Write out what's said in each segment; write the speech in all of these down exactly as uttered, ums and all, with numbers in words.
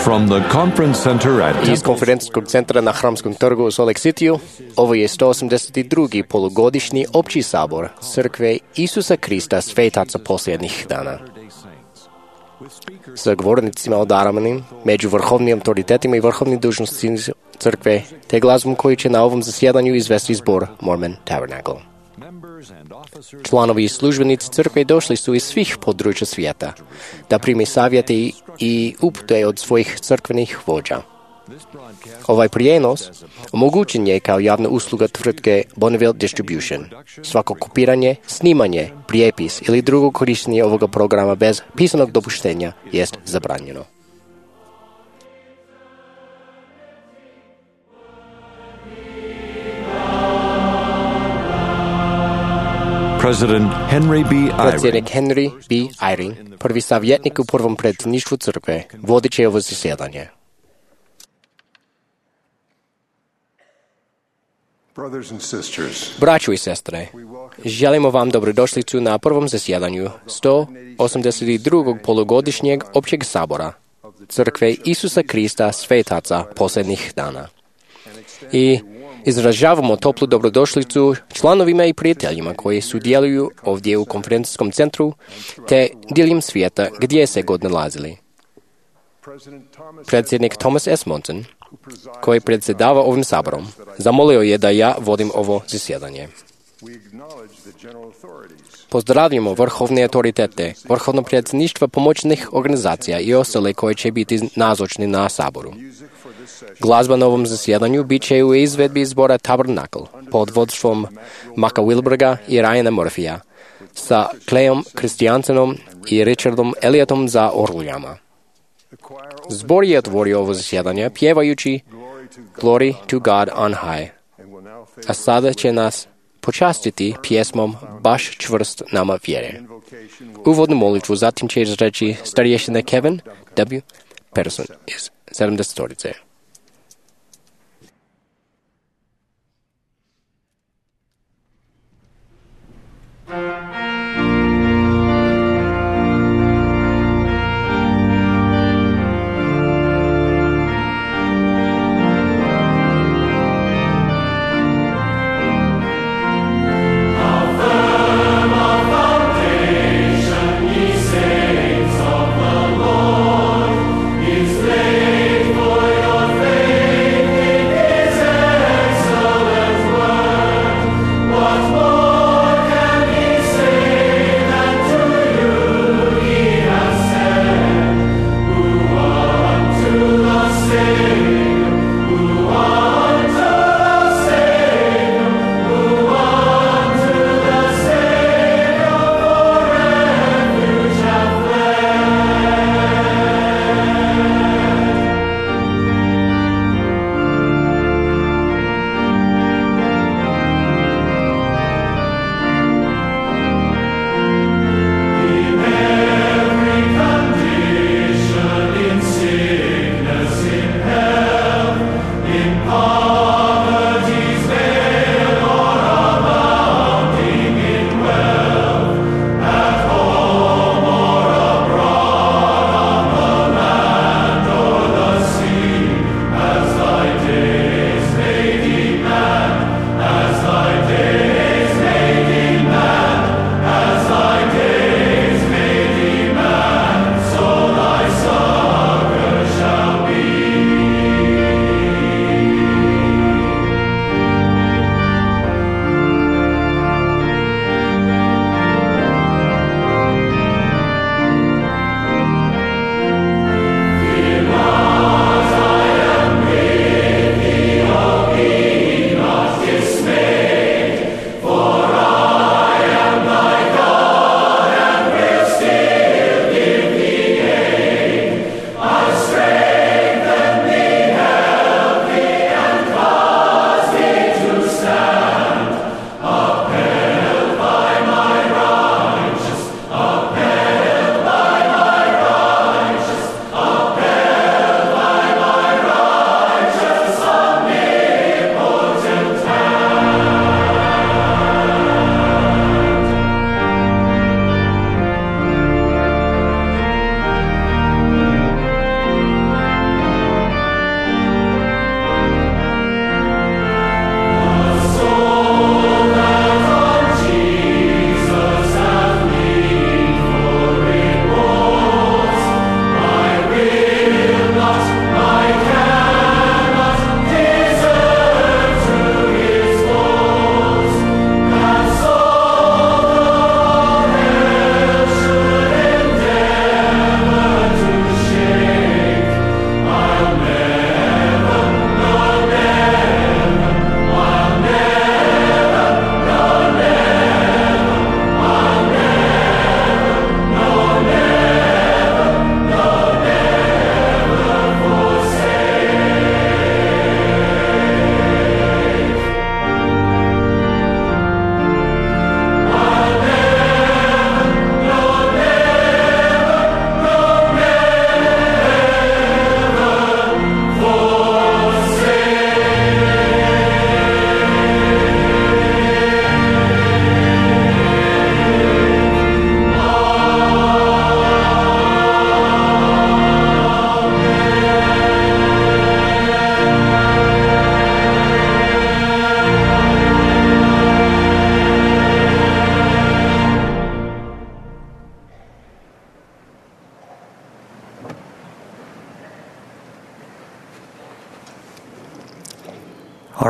From the conference center at Iz konferencijskog centra na Hramskom trgu u Salt Lake City-u, ovo je sto osamdeset drugi polugodišnji opći sabor Crkve Isusa Krista Svetaca posljednjih dana. Sa govornicima odaranim među vrhovnim autoritetima i vrhovnim dužnostima Crkve, te glazbom koji će na ovom zasjedanju izvesti zbor Mormon Tabernacle. Članovi i službenici Crkve došli su iz svih područja svijeta da primi savjete i, i upute od svojih crkvenih vođa. Ovaj prijenos omogućen je kao javna usluga tvrtke Bonneville Distribution. Svako kopiranje, snimanje, prijepis ili drugo korištenje ovoga programa bez pisanog dopuštenja jest zabranjeno. President Henry B. Eyring, Predsjednik Henry B. Eyring, prvi savjetnik u prvom predsjedništvu Crkve, vodit će ovo zasjedanje. Braćo i sestre, želimo vam dobrodošlicu na prvom zasjedanju sto osamdeset drugog polugodišnjeg općeg sabora Crkve Isusa Krista Svetaca posljednjih dana. I izražavamo toplu dobrodošlicu članovima i prijateljima koji sudjeluju ovdje u konferencijskom centru te diljem svijeta gdje se god nalazili. Predsjednik Thomas S. Monson, koji predsjedava ovim saborom, zamolio je da ja vodim ovo zasjedanje. Pozdravljamo vrhovne autoritete, vrhovno predsjedništva pomoćnih organizacija i ostale koje će biti nazočni na saboru. Glazba na ovom zasjedanju bit će u izvedbi zbora Tabernacle pod vodstvom Maka Wilberga i Ryana Murphyja sa Clayom Christiansenom i Richardom Elliotom za orguljama. Zbor je otvorio ovo zasjedanje pjevajući Glory to God on high, a sada će nas počastiti pjesmom Baš čvrst nama vjere. Uvodnu molitvu zatim će izreći starješina Kevin W. Patterson iz sedamdesetorice. For your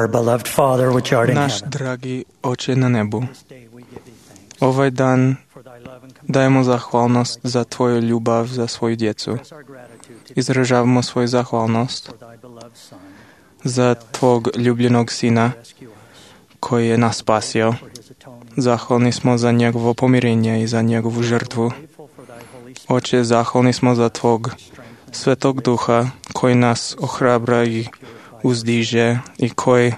Our beloved Father, which art in Наш heaven, dragi Oče na nebu, this day we give thee thanks ovaj dan for thy love and dajemo zahvalnost za Tvoju ljubav za svoju djecu. express our gratitude to thee Izražavamo svoju zahvalnost for thy beloved Son, za Tvog ljubljenog Sina rescue us, koji je nas spasio. for his atoning. Zahvalni smo za njegovo pomirenje i za njegovu žrtvu. Grateful for thy Holy Spirit, Oče, zahvalni smo za Tvog Svetog Duha koji nas ohrabra i uzdiže i koji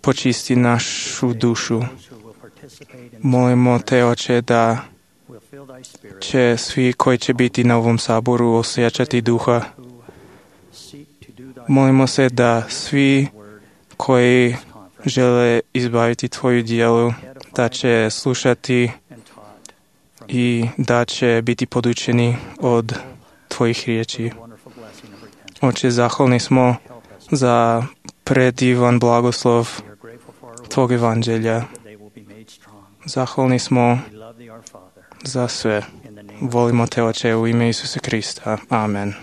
počisti našu dušu. those who will participate in Molimo Te, Oče, da will feel thy Spirit, će svi koji će biti na ovom saboru osjećati duha. who seek to do thy Molimo se da svi word koji conference žele izbaviti Tvoju djelu, da će slušati and taught from i da će biti podučeni od Tvojih riječi. the wonderful blessing of repentance. Oče, zahvalni smo Help us. za predivan blagoslov We are grateful for our Tvog evanđelja. that they will be made strong. Zahvalni smo We love thee, our Father, za sve. in the name of Volimo Te, Oče, u ime Isusa Krista. Amen.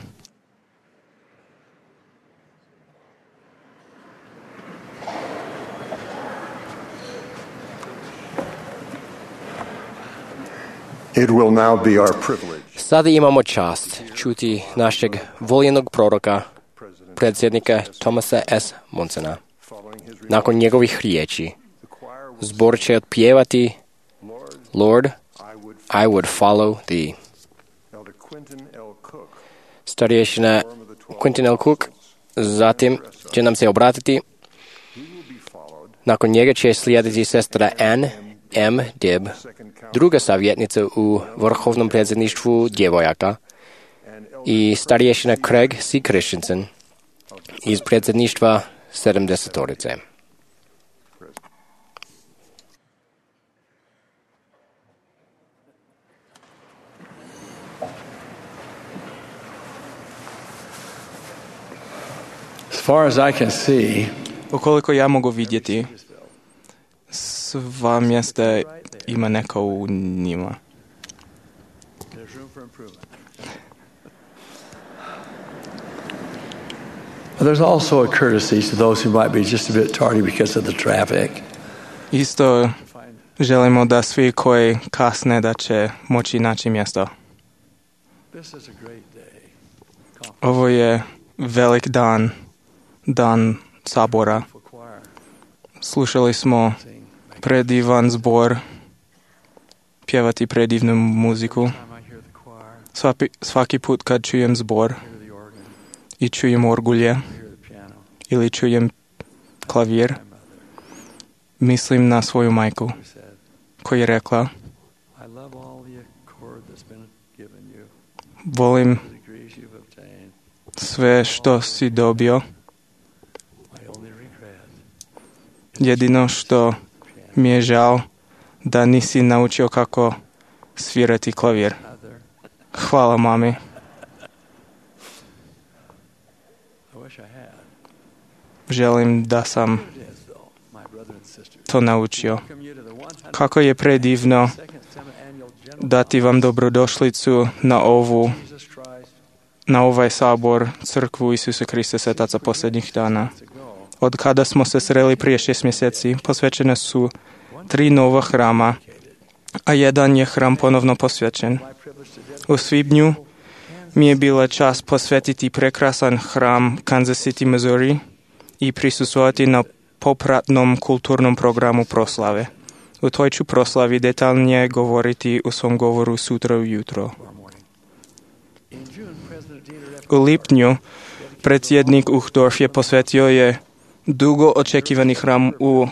It will now be our privilege, Sada imamo čast čuti našeg voljenog proroka, predsjednika Thomasa S. Monsona. following his re- Nakon njegovih riječi, the choir will zbor će otpjevati Lord, Lord, I would I would follow thee. Elder Quentin L. Cook, Starješina form of the twelve Quentin L. Cook zatim će nam se obratiti. he will be followed, Nakon njega će slijediti sestra Ann M. Dibb, second count, druga savjetnica u vrhovnom predsjedništvu djevojaka, and Elder i starješina Craig C. Christensen iz predsjedništva sedamdesetorice. As far as I can see, Ukoliko ja mogu vidjeti, sva mjesta ima neko u njima. there's room for improvement. but there's also a courtesy to those who might be just a bit tardy because of the traffic. Isto želimo da svi koji kasne da će moći naći mjesto. This is a great day. Ovo je velik dan, dan sabora. For choir, Slušali smo sing, make predivan zbor, pjevati predivnu muziku. time I hear the choir, Svaki, svaki put kad čujem zbor hear the organ, i čujem orgulje hear the piano, ili čujem klavir, my mother mislim na svoju majku who said, koja je rekla, I love all the accord that's been given you, volim the degrees you've obtained. sve što si dobio, My only regret, jedino što piano, mi je žao da nisi naučio kako svirati klavir. mother, Hvala mami, I wish I had. želim da sam It is though, my brother and sisters. to naučio. Welcome you to the one hundred Kako je predivno second semi-annual general dati vam dobrodošlicu na ovu, Jesus Christ na ovaj sabor crkvu Isusa Krista svetaca posljednjih dana. to go. Od kada smo se sreli prije šest mjeseci, posvećene su tri nova hrama, a jedan je hram ponovno posvećen. My privilege to dedicate U svibnju mi je bila čast posvetiti prekrasan hram Kansas City, Missouri i prisustvovati na popratnom kulturnom programu proslave. U toj ću proslavi detaljnije govoriti u svom govoru sutra ujutro. tomorrow morning. In June, President Dieter F. U lipnju predsjednik Uchtdorf je posvetio je dugo očekivani hram u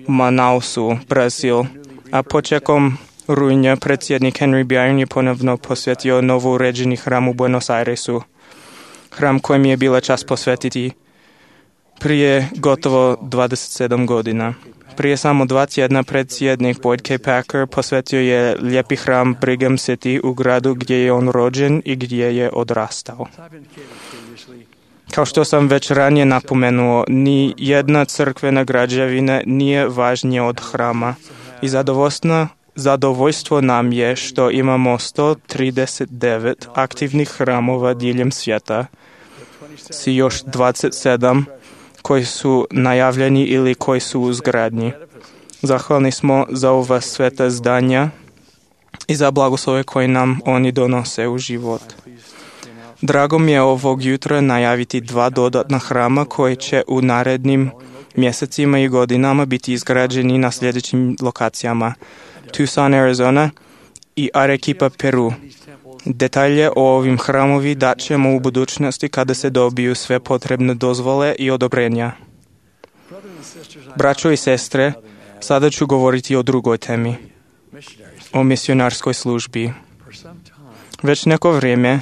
Manausu, Brazil, a početkom rujna predsjednik Henry Byrne je ponovno posvetio novo uređeni hram u Buenos Airesu. Hram kojem je bila čast posvetiti prije gotovo dvadeset sedam godina. Prije samo dva tjedna predsjednik Boyd K. Packer posvetio je lijepi hram Brigham City u gradu gdje je on rođen i gdje je odrastao. I've indicated previously, Kao što sam već ranije napomenuo, ni jedna crkvena građevina nije važnija od hrama i zadovoljstvo, zadovoljstvo nam je što imamo sto trideset devet aktivnih hramova diljem svijeta s još dvadeset sedam koji su najavljeni ili koji su u zgradnji. Zahvalni smo za ova sveta zdanja i za blagoslove koje nam oni donose u život. Drago mi je ovog jutra najaviti dva dodatna hrama koji će u narednim mjesecima i godinama biti izgrađeni na sljedećim lokacijama: Tucson, Arizona i Arequipa, Peru. Detalje o ovim hramovi dat ćemo u budućnosti kada se dobiju sve potrebne dozvole i odobrenja. Braćo i sestre, sada ću govoriti o drugoj temi, o misionarskoj službi. Već neko vrijeme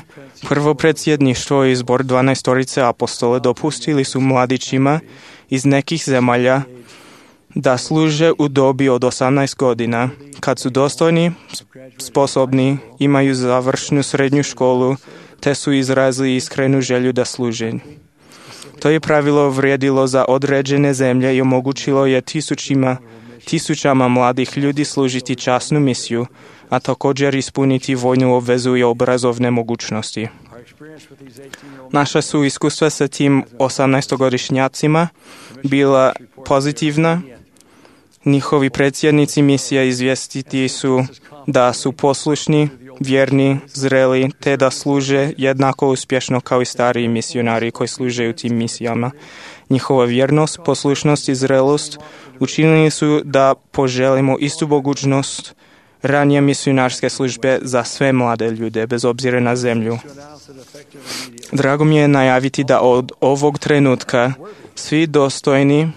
prvo predsjedništvo i zbor dvanaestorice apostole dopustili su mladićima iz nekih zemalja da služe u dobi od osamnaest godina, kad su dostojni, sposobni, imaju završnu srednju školu, te su izrazili iskrenu želju da služe. To je pravilo vrijedilo za određene zemlje i omogućilo je tisućima, tisućama mladih ljudi služiti časnu misiju, a također ispuniti vojnu obvezu i obrazovne mogućnosti. Naša su iskustva sa tim osamnaestogodišnjacima bila pozitivna. Njihovi predsjednici misija izvijestiti su da su poslušni, vjerni, zreli, te da služe jednako uspješno kao i stariji misionari koji služe u tim misijama. Njihova vjernost, poslušnost i zrelost učinili su da poželimo istu mogućnost ranije misionarske službe za sve mlade ljude, bez obzira na zemlju. Drago mi je najaviti da od ovog trenutka svi dostojni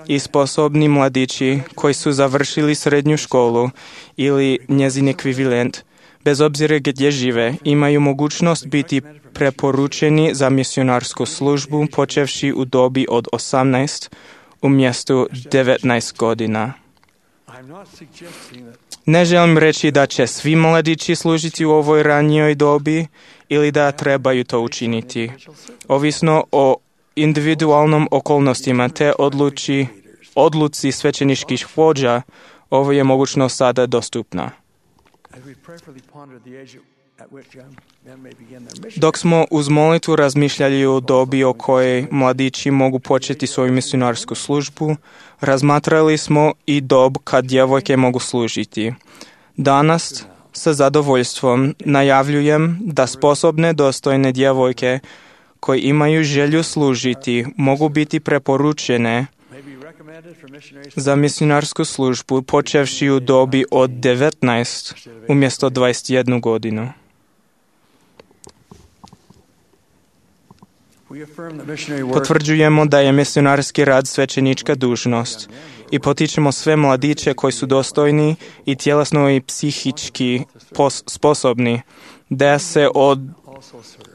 i sposobni mladići koji su završili srednju školu ili njezin ekvivalent, bez obzira gdje žive, imaju mogućnost biti preporučeni za misionarsku službu počevši u dobi od osamnaest umjesto devetnaest godina. Ne želim reći da će svi mladići služiti u ovoj ranijoj dobi ili da trebaju to učiniti. Ovisno o individualnom okolnostima te odluči, odluci svećeničkih vođa, ovo je mogućnost sada dostupna. Dok smo uz molitvu razmišljali o dobi o kojoj mladići mogu početi svoju misionarsku službu, razmatrali smo i dob kad djevojke mogu služiti. Danas sa zadovoljstvom najavljujem da sposobne dostojne djevojke koji imaju želju služiti mogu biti preporučene za misionarsku službu počevši u dobi od devetnaest umjesto dvadeset jednu godinu. Potvrđujemo da je misionarski rad svećenička dužnost i potičemo sve mladiće koji su dostojni i tjelesno i psihički pos- sposobni da se od,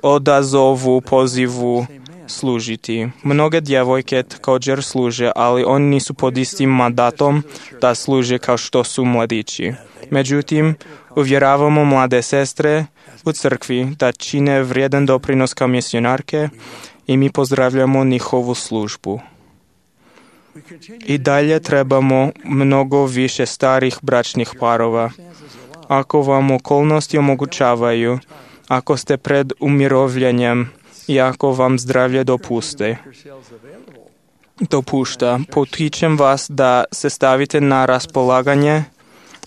odazovu pozivu služiti. Mnoge djevojke također služe, ali oni nisu pod istim mandatom da služe kao što su mladići. Međutim, uvjeravamo mlade sestre u crkvi da čine vrijedan doprinos kao misionarke i mi pozdravljamo njihovu službu. I dalje trebamo mnogo više starih bračnih parova. Ako vam okolnosti omogućavaju, ako ste pred umirovljenjem i ako vam zdravlje dopuste, dopušta, potičem vas da se stavite na raspolaganje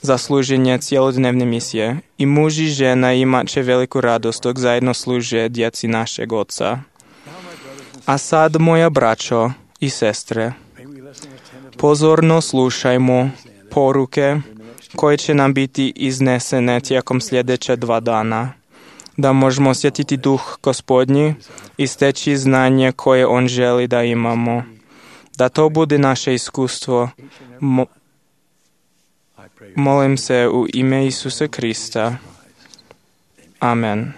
za služenje cijelodnevne misije. I muž i žena imat će veliku radost dok zajedno služe djeci našeg Oca. A sad, moja braćo i sestre, pozorno slušajmo poruke koje će nam biti iznesene tijekom sljedeća dva dana, da možemo osjetiti duh Gospodnji i steći znanje koje On želi da imamo. Da to bude naše iskustvo. Mo- molim se u ime Isusa Krista. Amen.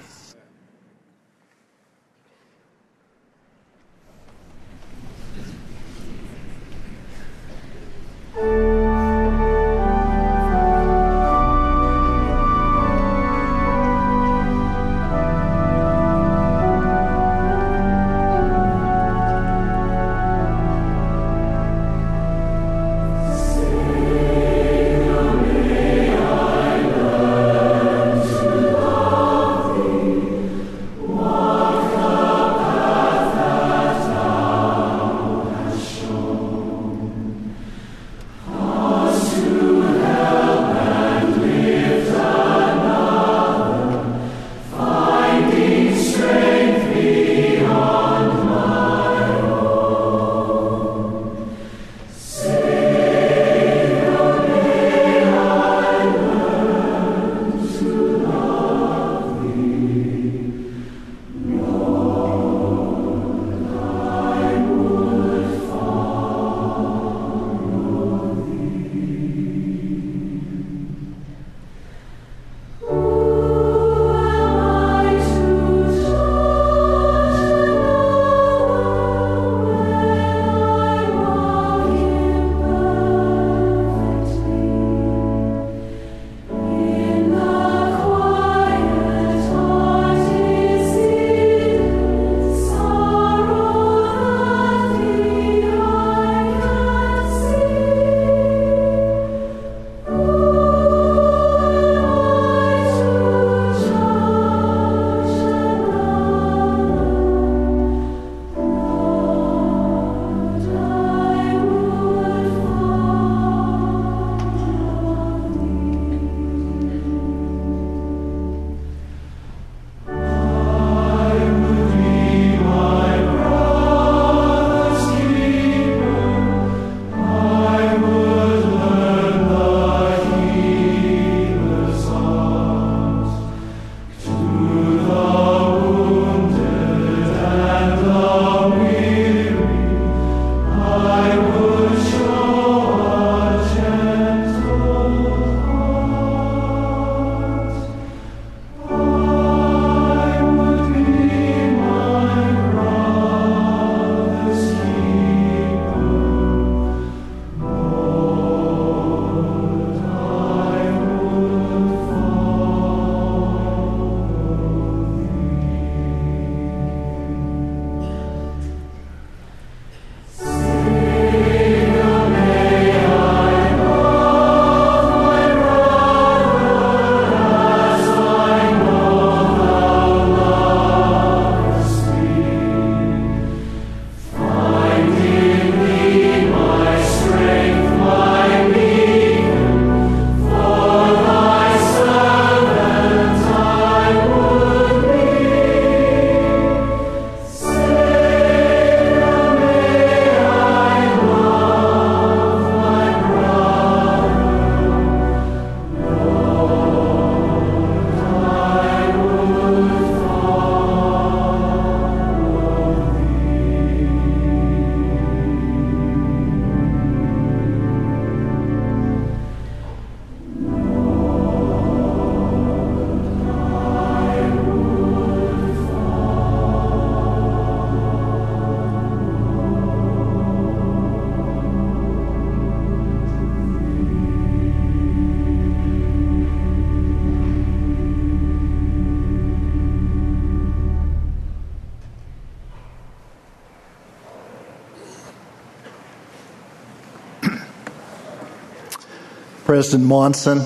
President Monson,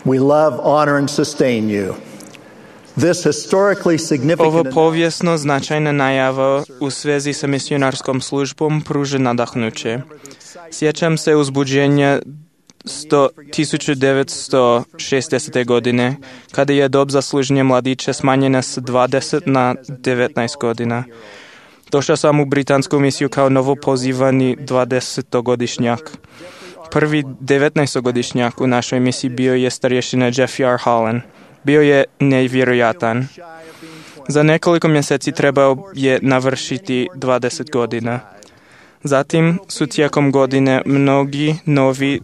we love, honor, and sustain you. This historically significant Ovo povijesno značajna najava u svezi sa misionarskom službom pruža nadahnuće. Sjećam se uzbuđenja tisuću devetsto šezdesete. godine, kada je dob za služenje mladića smanjena s dvadeset na devetnaest godina. Došao sam u britansku misiju kao novopozivani dvadesetogodišnjak. Prvi devetnaestogodišnjak u našoj misiji bio je starješina Jeffrey R. Holland. Bio je nevjerojatan. Za nekoliko mjeseci trebao je navršiti dvadeset godina. Zatim su tijekom godine mnogi novi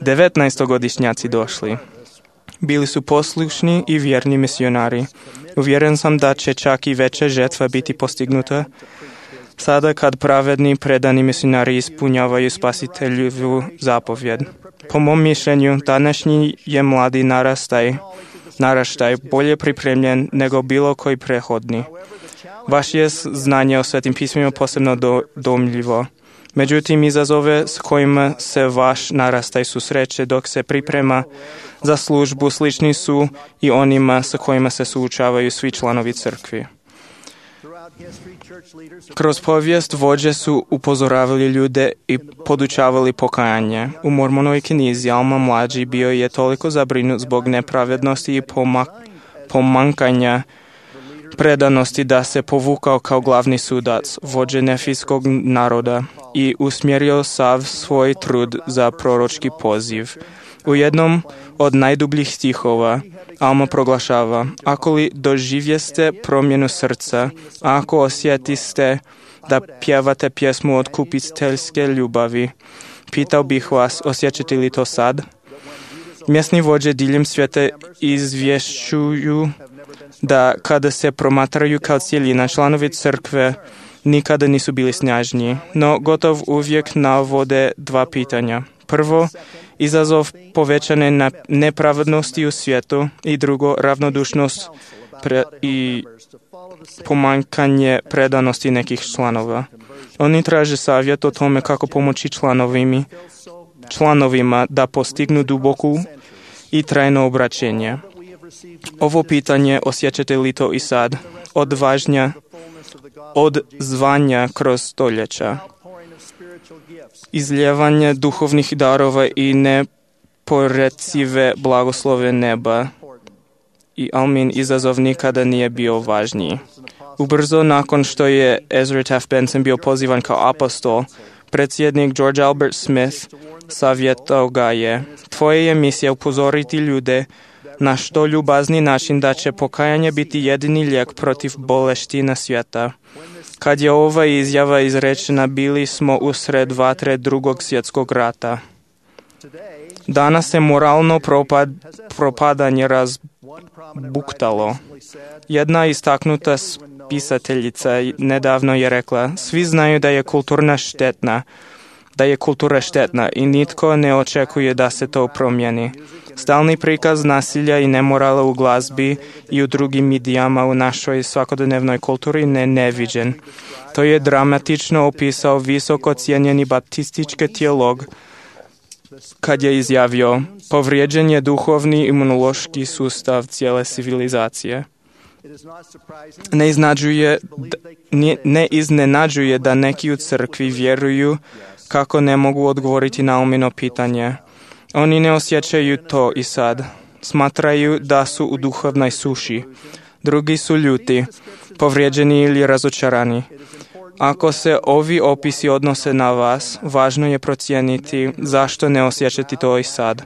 devetnaestogodišnjaci došli. Bili su poslušni i vjerni misionari. Uvjeren sam da će čak i veća žetva biti postignuta sada kad pravedni predani misionari ispunjavaju spasiteljevu zapovjed. Po mom mišljenju, današnji je mladi narastaj, naraštaj bolje pripremljen nego bilo koji prethodni. Vaše je znanje o Svetim pismima posebno do, domljivo. Međutim, izazove s kojima se vaš narastaj susreće dok se priprema za službu slični su i onima s kojima se suočavaju svi članovi crkvi. Kroz povijest vođe su upozoravali ljude i podučavali pokajanje. U Mormonovoj knjizi Alma mlađi bio je toliko zabrinut zbog nepravednosti i pomak- pomankanja predanosti da se povukao kao glavni sudac, vođe nefijskog naroda i usmjerio sav svoj trud za proročki poziv. U jednom od najdubljih stihova Alma proglašava: ako li doživjeste promjenu srca, ako osjetiste da pjevate pjesmu od kupiteljske ljubavi, pitao bih vas, osjećate li to sad? Mjesni vođe diljem svijeta izvješćuju da kada se promatraju kao cjelina, članovi crkve nikada nisu bili snažniji, no gotov uvijek navode dva pitanja. Prvo, izazov povećane nepravednosti u svijetu i drugo, ravnodušnost pre- i pomankanje predanosti nekih članova. Oni traže savjet o tome kako pomoći članovimi, članovima da postignu duboku i trajno obraćenje. Ovo pitanje, osjećate li to i sad, odvažnja od zvanja kroz stoljeća, izljevanje duhovnih darova i neporecive blagoslove neba i Almin izazov nikada nije bio važniji. Ubrzo nakon što je Ezra Taft Benson bio pozivan kao apostol, predsjednik George Albert Smith savjetao ga je: tvoja je misija upozoriti ljude na što ljubazni način da će pokajanje biti jedini lijek protiv boleština svijeta. Kad je ova izjava izrečena, bili smo usred vatre drugog svjetskog rata. Danas se moralno propad, propadanje razbuktalo. Jedna istaknuta pisateljica nedavno je rekla: svi znaju da je kulturna štetna, da je kultura štetna i nitko ne očekuje da se to promijeni. Stalni prikaz nasilja i nemorala u glazbi i u drugim medijama u našoj svakodnevnoj kulturi ne neviđen. To je dramatično opisao visoko cijenjeni baptistički teolog kad je izjavio: povrijeđen je duhovni imunološki sustav cijele civilizacije. Ne iznenađuje, ne iznenađuje da neki u crkvi vjeruju kako ne mogu odgovoriti na Almino pitanje. Oni ne osjećaju to i sad. Smatraju da su u duhovnoj suši. Drugi su ljuti, povrijeđeni ili razočarani. Ako se ovi opisi odnose na vas, važno je procijeniti zašto ne osjećati to i sad.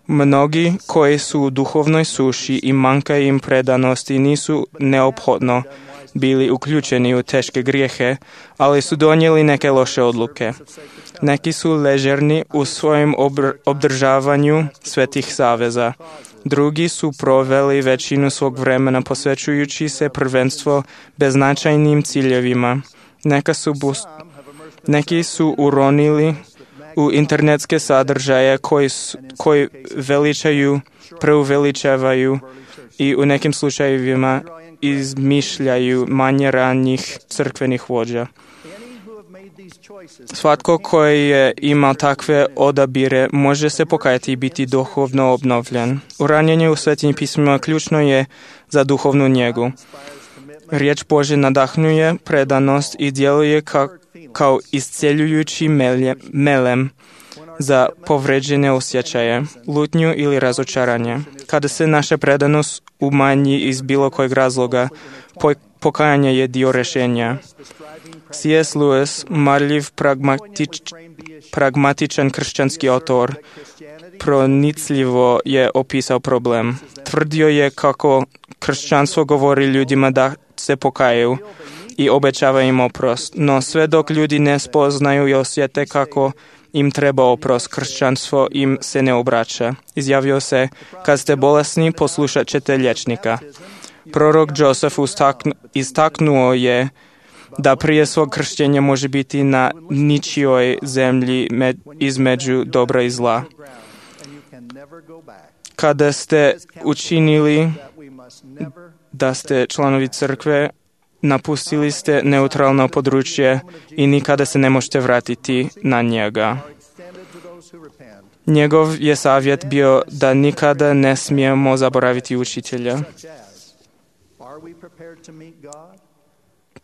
Mnogi koji su u duhovnoj suši i manjka im predanosti nisu neophodno bili uključeni u teške grijehe, ali su donijeli neke loše odluke. Neki su ležerni u svojem obr- obdržavanju svetih saveza. Drugi su proveli većinu svog vremena posvećujući se prvenstvo beznačajnim ciljevima. Neka su bus- neki su uronili u internetske sadržaje koji, su, koji veličaju, preuveličavaju i u nekim slučajevima izmišljaju manje ranjih crkvenih vođa. Svatko koji je imao takve odabire može se pokajati i biti duhovno obnovljen. Uranjenje u svetim pismima ključno je za duhovnu njegu. Riječ Božja nadahnuje predanost i djeluje kao, kao isceljujući melje, melem za povređene osjećaje, lutnju ili razočaranje. Kada se naša predanost umanji iz bilo kojeg razloga, pokajanje je dio rješenja. C S. Lewis, marljiv pragmatič, pragmatičan kršćanski autor, pronicljivo je opisao problem. Tvrdio je kako kršćanstvo govori ljudima da se pokajaju i obećava im oprost, no sve dok ljudi ne spoznaju i osjete kako im treba oprost, kršćanstvo im se ne obraća. Izjavio se, kad ste bolesni, poslušat ćete liječnika. Prorok Josef istaknuo je da prije svog kršćenja može biti na ničijoj zemlji med, između dobra i zla. Kada ste učinili da ste članovi crkve, napustili ste neutralno područje i nikada se ne možete vratiti na njega. Njegov je savjet bio da nikada ne smijemo zaboraviti učitelja.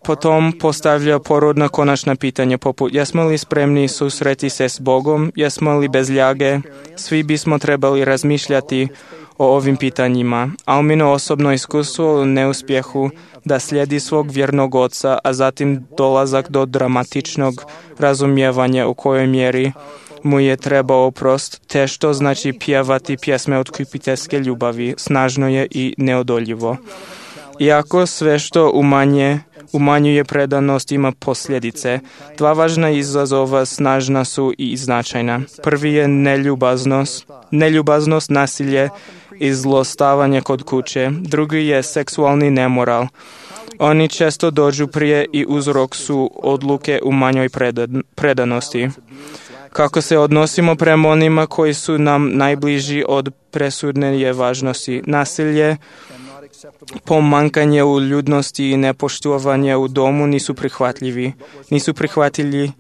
Potom postavlja porodna konačna pitanja poput jesmo li spremni susreti se s Bogom, jesmo li bez ljage. Svi bismo trebali razmišljati o ovim pitanjima. Almino osobno iskustvo u neuspjehu da slijedi svog vjernog oca, a zatim dolazak do dramatičnog razumijevanja u kojoj mjeri mu je trebao oprost, te što znači pjevati pjesme otkupiteljske ljubavi, snažno je i neodoljivo. Iako sve što umanje, umanjuje predanost ima posljedice, dva važna izazova snažna su i značajna. Prvi je neljubaznost, neljubaznost, nasilje i zlostavanje kod kuće. Drugi je seksualni nemoral. Oni često dođu prije i uzrok su odluke u manjoj predanosti. Kako se odnosimo prema onima koji su nam najbliži od presudne je važnosti. Nasilje, pomankanje u ljudnosti i nepoštovanje u domu nisu prihvatljivi. Nisu prihvatljivi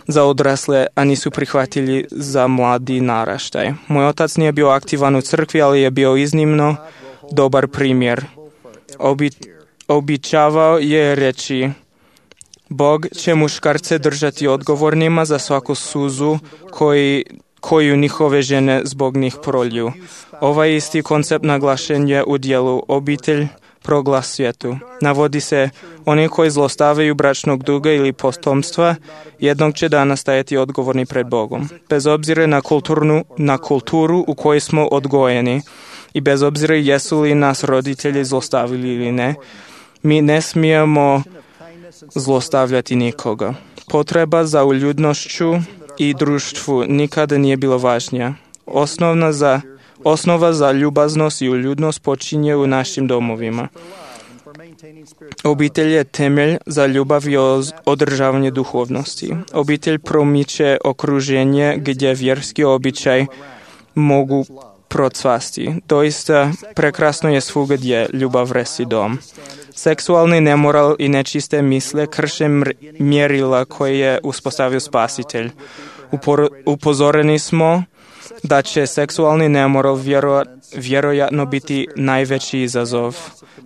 za odrasle, a nisu prihvatljivi za mladi naraštaj. Moj otac nije bio aktivan u crkvi, ali je bio iznimno dobar primjer. Obi, običavao je reći, Bog će muškarce držati odgovornima za svaku suzu koji, koju njihove žene zbog njih prolju. Ovaj isti koncept naglašen je u dijelu Obitelj, proglas svijetu. Navodi se, oni koji zlostavljaju bračnog duga ili potomstva, jednog će dana stajati odgovorni pred Bogom. Bez obzira na, kulturnu, na kulturu u kojoj smo odgojeni i bez obzira jesu li nas roditelji zlostavili ili ne, mi ne smijemo zlostavljati nikoga. Potreba za uljudnošću i društvu nikada nije bila važnija. Osnovna za, osnova za ljubaznost i uljudnost počinje u našim domovima. Obitelj je temelj za ljubav i održavanje duhovnosti. Obitelj promiče okruženje gdje vjerski običaj mogu procvasti. Doista prekrasno je svugdje ljubav resi dom. Seksualni nemoral i nečiste misle krše mjerila koje je uspostavio Spasitelj. Upor, upozoreni smo da će seksualni nemoral vjero, vjerojatno biti najveći izazov.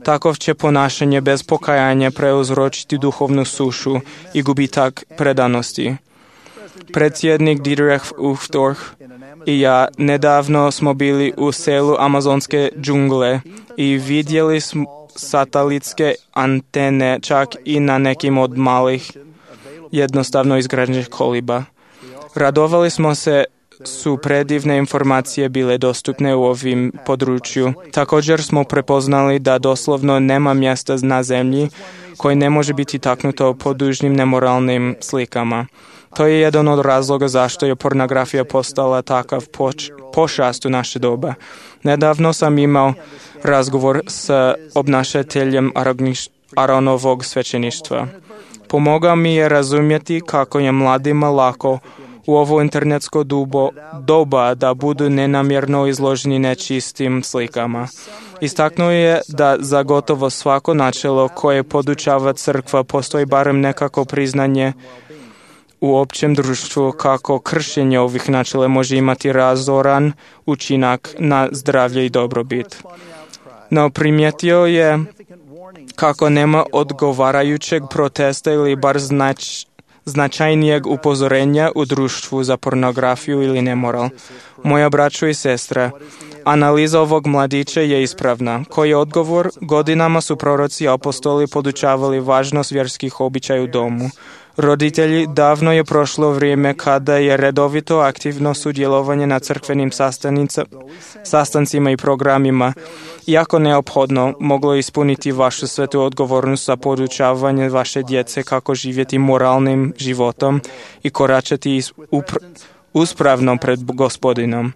Takov će ponašanje bez pokajanja preuzročiti duhovnu sušu i gubitak predanosti. Predsjednik Dietrich Uchtdorf i ja nedavno smo bili u selu amazonske džungle i vidjeli smo satelitske antene čak i na nekim od malih jednostavno izgrađenih koliba. Radovali smo se su predivne informacije bile dostupne u ovim području. Također smo prepoznali da doslovno nema mjesta na zemlji koje ne može biti taknuto podužnim nemoralnim slikama. To je jedan od razloga zašto je pornografija postala takav poč- pošast u naše doba. Nedavno sam imao razgovor s obnašateljem Aronovog svećeništva. Pomogao mi je razumjeti kako je mladima lako u ovo internetsko dubo, doba da budu nenamjerno izloženi nečistim slikama. Istaknuo je da za gotovo svako načelo koje podučava crkva postoji barem nekako priznanje u općem društvu kako kršenje ovih načela može imati razoran učinak na zdravlje i dobrobit. No primijetio je kako nema odgovarajućeg protesta ili bar znać, značajnijeg upozorenja u društvu za pornografiju ili nemoral. Moja braćo i sestre, analiza ovog mladića je ispravna. Koji je odgovor? Godinama su proroci i apostoli podučavali važnost vjerskih običaja u domu. Roditelji, davno je prošlo vrijeme kada je redovito aktivno sudjelovanje na crkvenim sastancima i programima, iako neophodno, moglo ispuniti vašu svetu odgovornost za podučavanje vaše djece kako živjeti moralnim životom i koračati uspravno pred Gospodinom.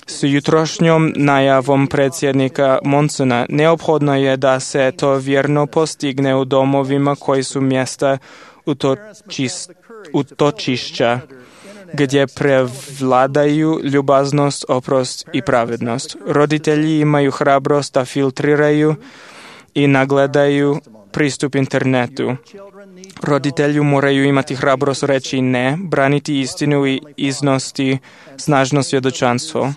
S jutrošnjom najavom predsjednika Monsona neophodno je da se to vjerno postigne u domovima koji su mjesta utočišća, gdje prevladaju ljubaznost, oprost i pravednost. Roditelji imaju hrabrost da filtriraju i nagledaju pristup internetu. Roditelji moraju imati hrabrost reći ne, braniti istinu i iznosti snažno svjedočanstvo.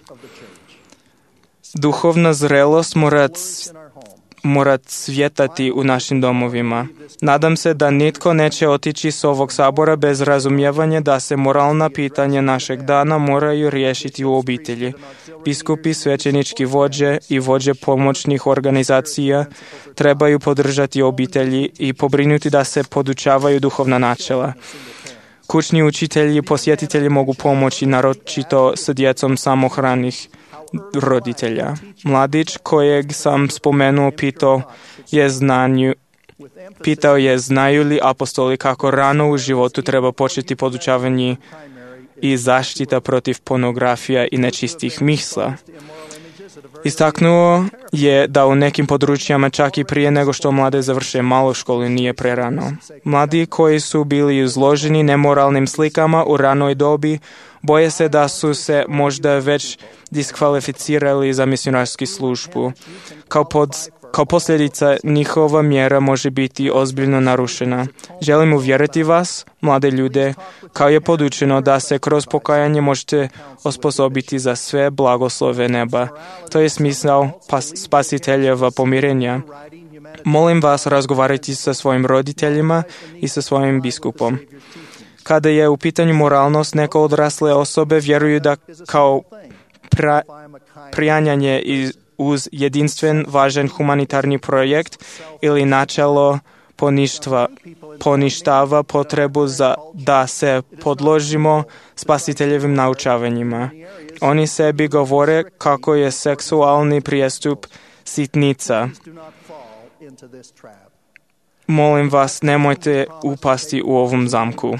Duhovna zrelost mora mora cvjetati u našim domovima. Nadam se da nitko neće otići s ovog sabora bez razumijevanja da se moralna pitanja našeg dana moraju riješiti u obitelji. Biskupi, svećenički vođe i vođe pomoćnih organizacija trebaju podržati obitelji i pobrinuti da se podučavaju duhovna načela. Kućni učitelji i posjetitelji mogu pomoći, naročito s djecom samohranih roditelja. Mladić kojeg sam spomenuo pitao je, znanju, pitao je znaju li apostoli kako rano u životu treba početi podučavanje i zaštita protiv pornografija i nečistih misla. Istaknuo je da u nekim područjama čak i prije nego što mlade završe malu školu nije prerano. Mladi koji su bili izloženi nemoralnim slikama u ranoj dobi boje se da su se možda već diskvalificirali za misionarsku službu. Kao, pod, kao posljedica njihova mjera može biti ozbiljno narušena. Želim uvjeriti vas, mlade ljude, kao je podučeno da se kroz pokajanje možete osposobiti za sve blagoslove neba. To je smisao spasiteljeva pomirenja. Molim vas razgovarati sa svojim roditeljima i sa svojim biskupom. Kada je u pitanju moralnost, neke odrasle osobe vjeruju da kao pra, prijanjanje iz, uz jedinstven, važan humanitarni projekt ili načelo poništva, poništava potrebu za da se podložimo spasiteljevim naučavanjima. Oni sebi govore kako je seksualni prijestup sitnica. Molim vas, nemojte upasti u ovom zamku.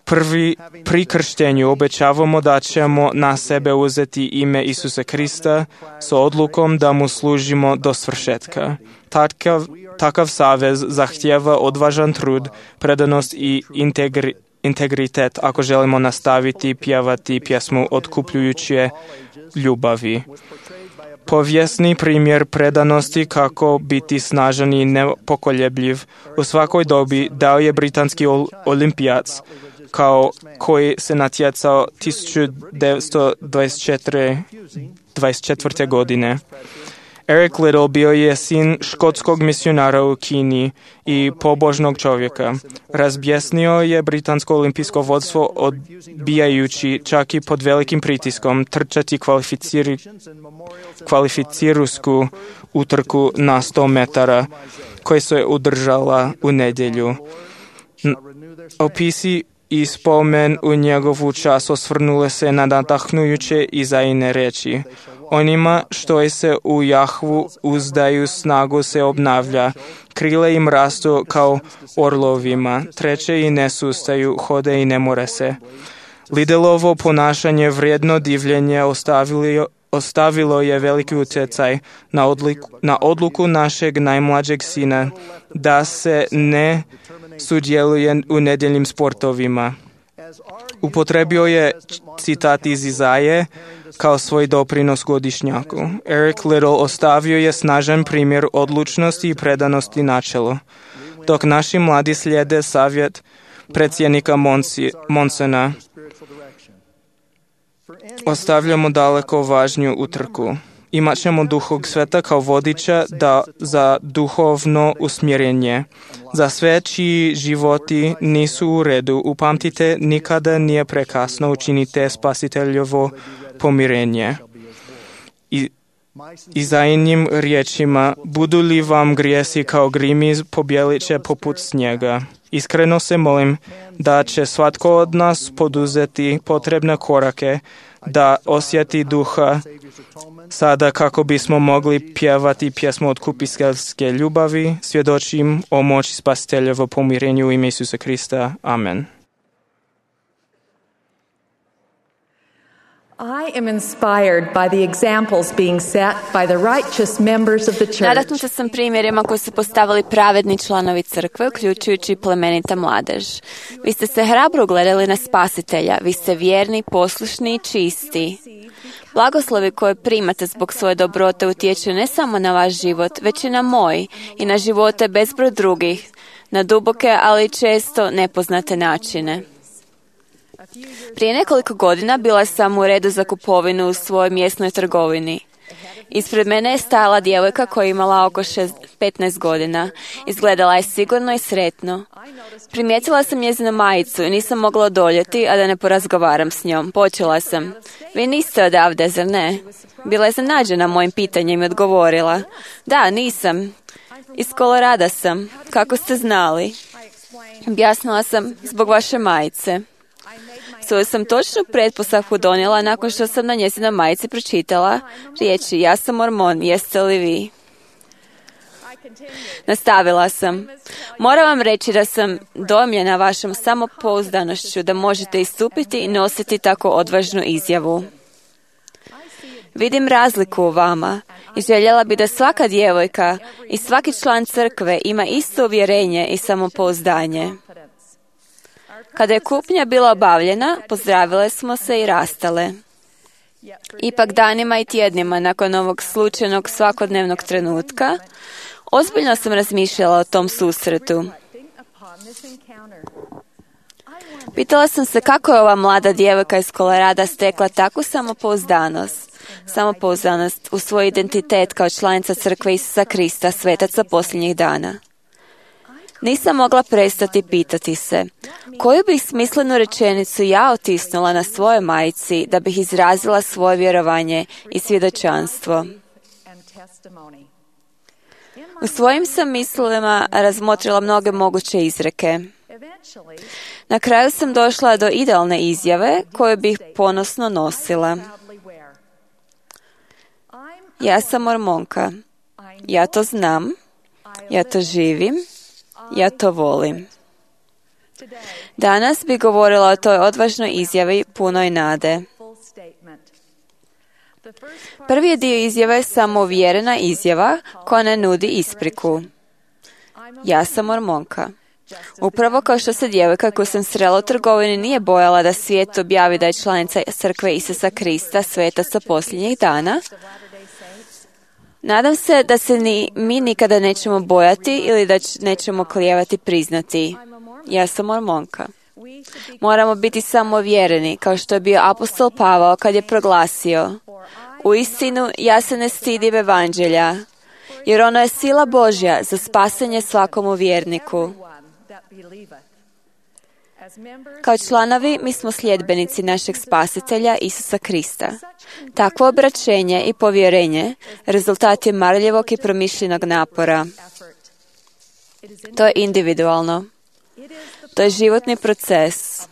Prvi, pri krštenju obećavamo da ćemo na sebe uzeti ime Isusa Krista s odlukom da mu služimo do svršetka. Takav, takav savez zahtijeva odvažan trud, predanost i integri, integritet ako želimo nastaviti pjevati pjesmu otkupljujuće ljubavi. Povijesni primjer predanosti kako biti snažan i nepokoljebljiv u svakoj dobi dao je britanski olimpijac kao koji se natjecao tisuću devetsto dvadeset četvrte. godine. Eric Liddell bio je sin škotskog misionara u Kini i pobožnog čovjeka. Razbjesnio je britansko olimpijsko vodstvo odbijajući čak i pod velikim pritiskom trčati kvalificiri, kvalificirusku utrku na sto metara koja se održala u nedjelju. Opisi i spomen u njegovu čast osvrnule se na nadahnujuće i zajine reči. Onima što se u Jahvu uzdaju snagu se obnavlja, krile im rastu kao orlovima, treće i ne sustaju, hode i ne more se. Liddelovo ponašanje vrijedno divljenje ostavilo, ostavilo je veliki utjecaj na, odliku, na odluku našeg najmlađeg sina da se ne sudjeluje u nedjeljnim sportovima. Upotrebio je citat iz Izaje kao svoj doprinos godišnjaku. Eric Liddell ostavio je snažan primjer odlučnosti i predanosti načelu. Dok naši mladi slijede savjet predsjednika Monsi, Monsena. Ostavljamo daleko važniju utrku. Imat ćemo Duhog Sveta kao vodiča da za duhovno usmjerenje. Za sve čiji životi nisu u redu, upamtite, nikada nije prekasno, učinite spasiteljovo pomirenje. I Izajnim riječima, budu li vam grijesi kao grimi, pobjelit će poput snijega. Iskreno se molim da će svatko od nas poduzeti potrebne korake da osjeti duha sada kako bismo mogli pjevati pjesmu otkupiteljske ljubavi. Svjedočim o moći spasiteljevo pomirenju u ime Isusa Krista. Amen. I am inspired by the examples being set by the righteous members of the church. Nadahnuta sam primjerima koji su postavili pravedni članovi crkve, uključujući plemenita mladež. Vi ste se hrabro gledali na Spasitelja, vi ste vjerni, poslušni i čisti. Blagoslovi koje primate zbog svoje dobrote utječu ne samo na vaš život, već i na moj i na živote bezbroj drugih, na duboke, ali često nepoznate načine. Prije nekoliko godina bila sam u redu za kupovinu u svojoj mjesnoj trgovini. Ispred mene je stajala djevojka koja je imala oko petnaest godina. Izgledala je sigurno i sretno. Primijetila sam njezinu majicu i nisam mogla odoljeti, a da ne porazgovaram s njom. Počela sam. Vi niste odavde, zar ne? Bila je iznenađena mojim pitanjem i odgovorila. Da, nisam. Iz Kolorada sam. Kako ste znali? Objasnila sam, zbog vaše majice. Svoju sam točnu pretpostavku donijela nakon što sam na njezinoj majici pročitala riječi ja sam Mormon, jeste li vi? Nastavila sam. Moram vam reći da sam dojmljena vašom samopouzdanošću da možete istupiti i nositi tako odvažnu izjavu. Vidim razliku u vama i željela bi da svaka djevojka i svaki član crkve ima isto uvjerenje i samopouzdanje. Kada je kupnja bila obavljena, pozdravile smo se i rastale. Ipak danima i tjednima nakon ovog slučajnog svakodnevnog trenutka, ozbiljno sam razmišljala o tom susretu. Pitala sam se kako je ova mlada djevojka iz Kolorada stekla takvu samopouzdanost, samopouzdanost u svoj identitet kao članica crkve Isusa Krista, svetaca posljednjih dana. Nisam mogla prestati pitati se, koju bih smislenu rečenicu ja otisnula na svojoj majici da bih izrazila svoje vjerovanje i svjedočanstvo. U svojim sam mislima razmotrila mnoge moguće izreke. Na kraju sam došla do idealne izjave koju bih ponosno nosila. Ja sam Mormonka. Ja to znam. Ja to živim. Ja to volim. Danas bih govorila o toj odvažnoj izjavi punoj nade. Prvi je dio izjave samouvjerena izjava koja ne nudi ispriku. Ja sam Mormonka. Upravo kao što se djevojka koju sam srela u trgovini nije bojala da svijet objavi da je članica crkve Isusa Krista, svetaca posljednjih dana, nadam se da se ni mi nikada nećemo bojati ili da nećemo klijevati priznati. Ja sam Mormonka. Moramo biti samouvjereni, kao što je bio apostol Pavao kad je proglasio: uistinu, ja se ne stidim evanđelja, jer ono je sila Božja za spasenje svakomu vjerniku. Kao članovi, mi smo sljedbenici našeg Spasitelja Isusa Krista. Takvo obraćenje i povjerenje rezultat je marljivog i promišljenog napora. To je individualno. To je životni proces.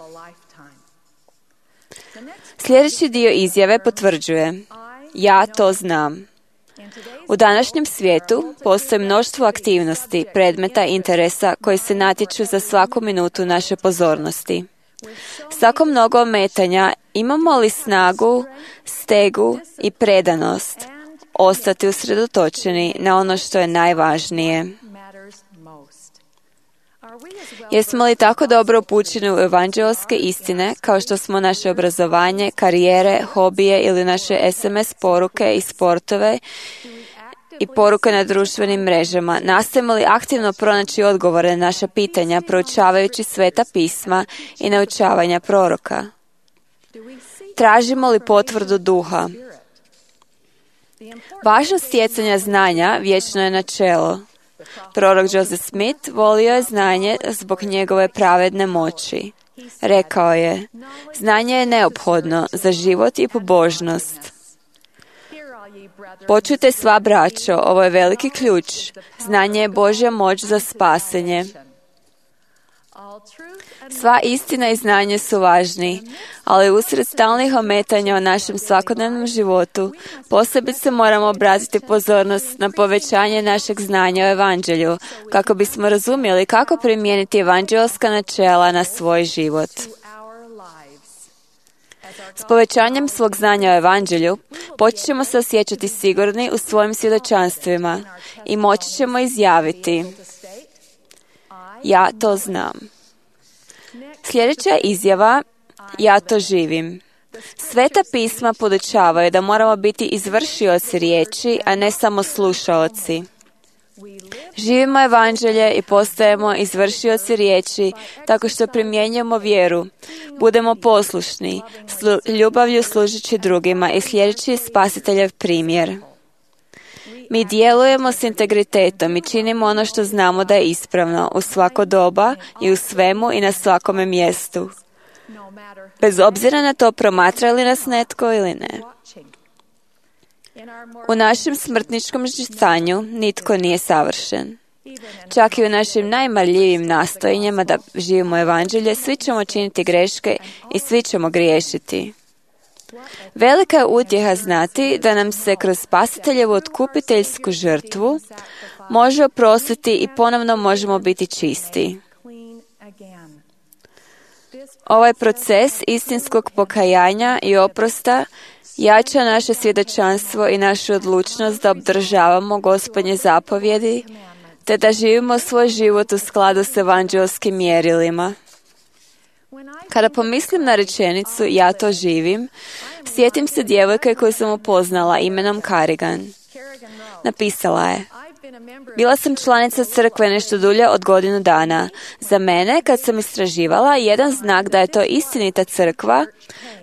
Sljedeći dio izjave potvrđuje: ja to znam. U današnjem svijetu postoji mnoštvo aktivnosti, predmeta i interesa koji se natječu za svaku minutu naše pozornosti. S tako mnogo ometanja imamo li snagu, stegu i predanost ostati usredotočeni na ono što je najvažnije? Jesmo li tako dobro upućeni u evanđeoske istine kao što smo naše obrazovanje, karijere, hobije ili naše es em es poruke i sportove i poruke na društvenim mrežama? Nastojimo li aktivno pronaći odgovore na naša pitanja, proučavajući sveta pisma i naučavanja proroka? Tražimo li potvrdu duha? Važnost stjecanja znanja vječno je načelo. Prorok Joseph Smith volio je znanje zbog njegove pravedne moći. Rekao je, znanje je neophodno za život i pobožnost. Počujte sva braćo, ovo je veliki ključ. Znanje je Božja moć za spasenje. Sva istina i znanje su važni, ali usred stalnih ometanja u našem svakodnevnom životu posebice moramo obratiti pozornost na povećanje našeg znanja o Evanđelju, kako bismo razumjeli kako primijeniti evanđelska načela na svoj život. S povećanjem svog znanja o Evanđelju počet ćemo se osjećati sigurni u svojim svjedočanstvima i moći ćemo izjaviti, ja to znam. Sljedeća izjava, ja to živim. Sveta pisma podučavaju da moramo biti izvršioci riječi, a ne samo slušaoci. Živimo Evanđelje i postajemo izvršioci riječi tako što primjenjujemo vjeru. Budemo poslušni, slu, ljubavlju služeći drugima i sljedeći Spasiteljev primjer. Mi djelujemo s integritetom i činimo ono što znamo da je ispravno u svako doba i u svemu i na svakome mjestu. Bez obzira na to promatra li nas netko ili ne. U našem smrtničkom stanju nitko nije savršen. Čak i u našim najmarljivim nastojanjima da živimo Evanđelje, svi ćemo činiti greške i svi ćemo griješiti. Velika je utjeha znati da nam se kroz Spasiteljevu otkupiteljsku žrtvu može oprostiti i ponovno možemo biti čisti. Ovaj proces istinskog pokajanja i oprosta jača naše svjedočanstvo i našu odlučnost da obdržavamo Gospodnje zapovjedi, te da živimo svoj život u skladu s evanđelskim mjerilima. Kada pomislim na rečenicu ja to živim, sjetim se djevojke koju sam upoznala imenom Carrigan. Napisala je, bila sam članica crkve nešto dulje od godinu dana. Za mene, kad sam istraživala, jedan znak da je to istinita crkva,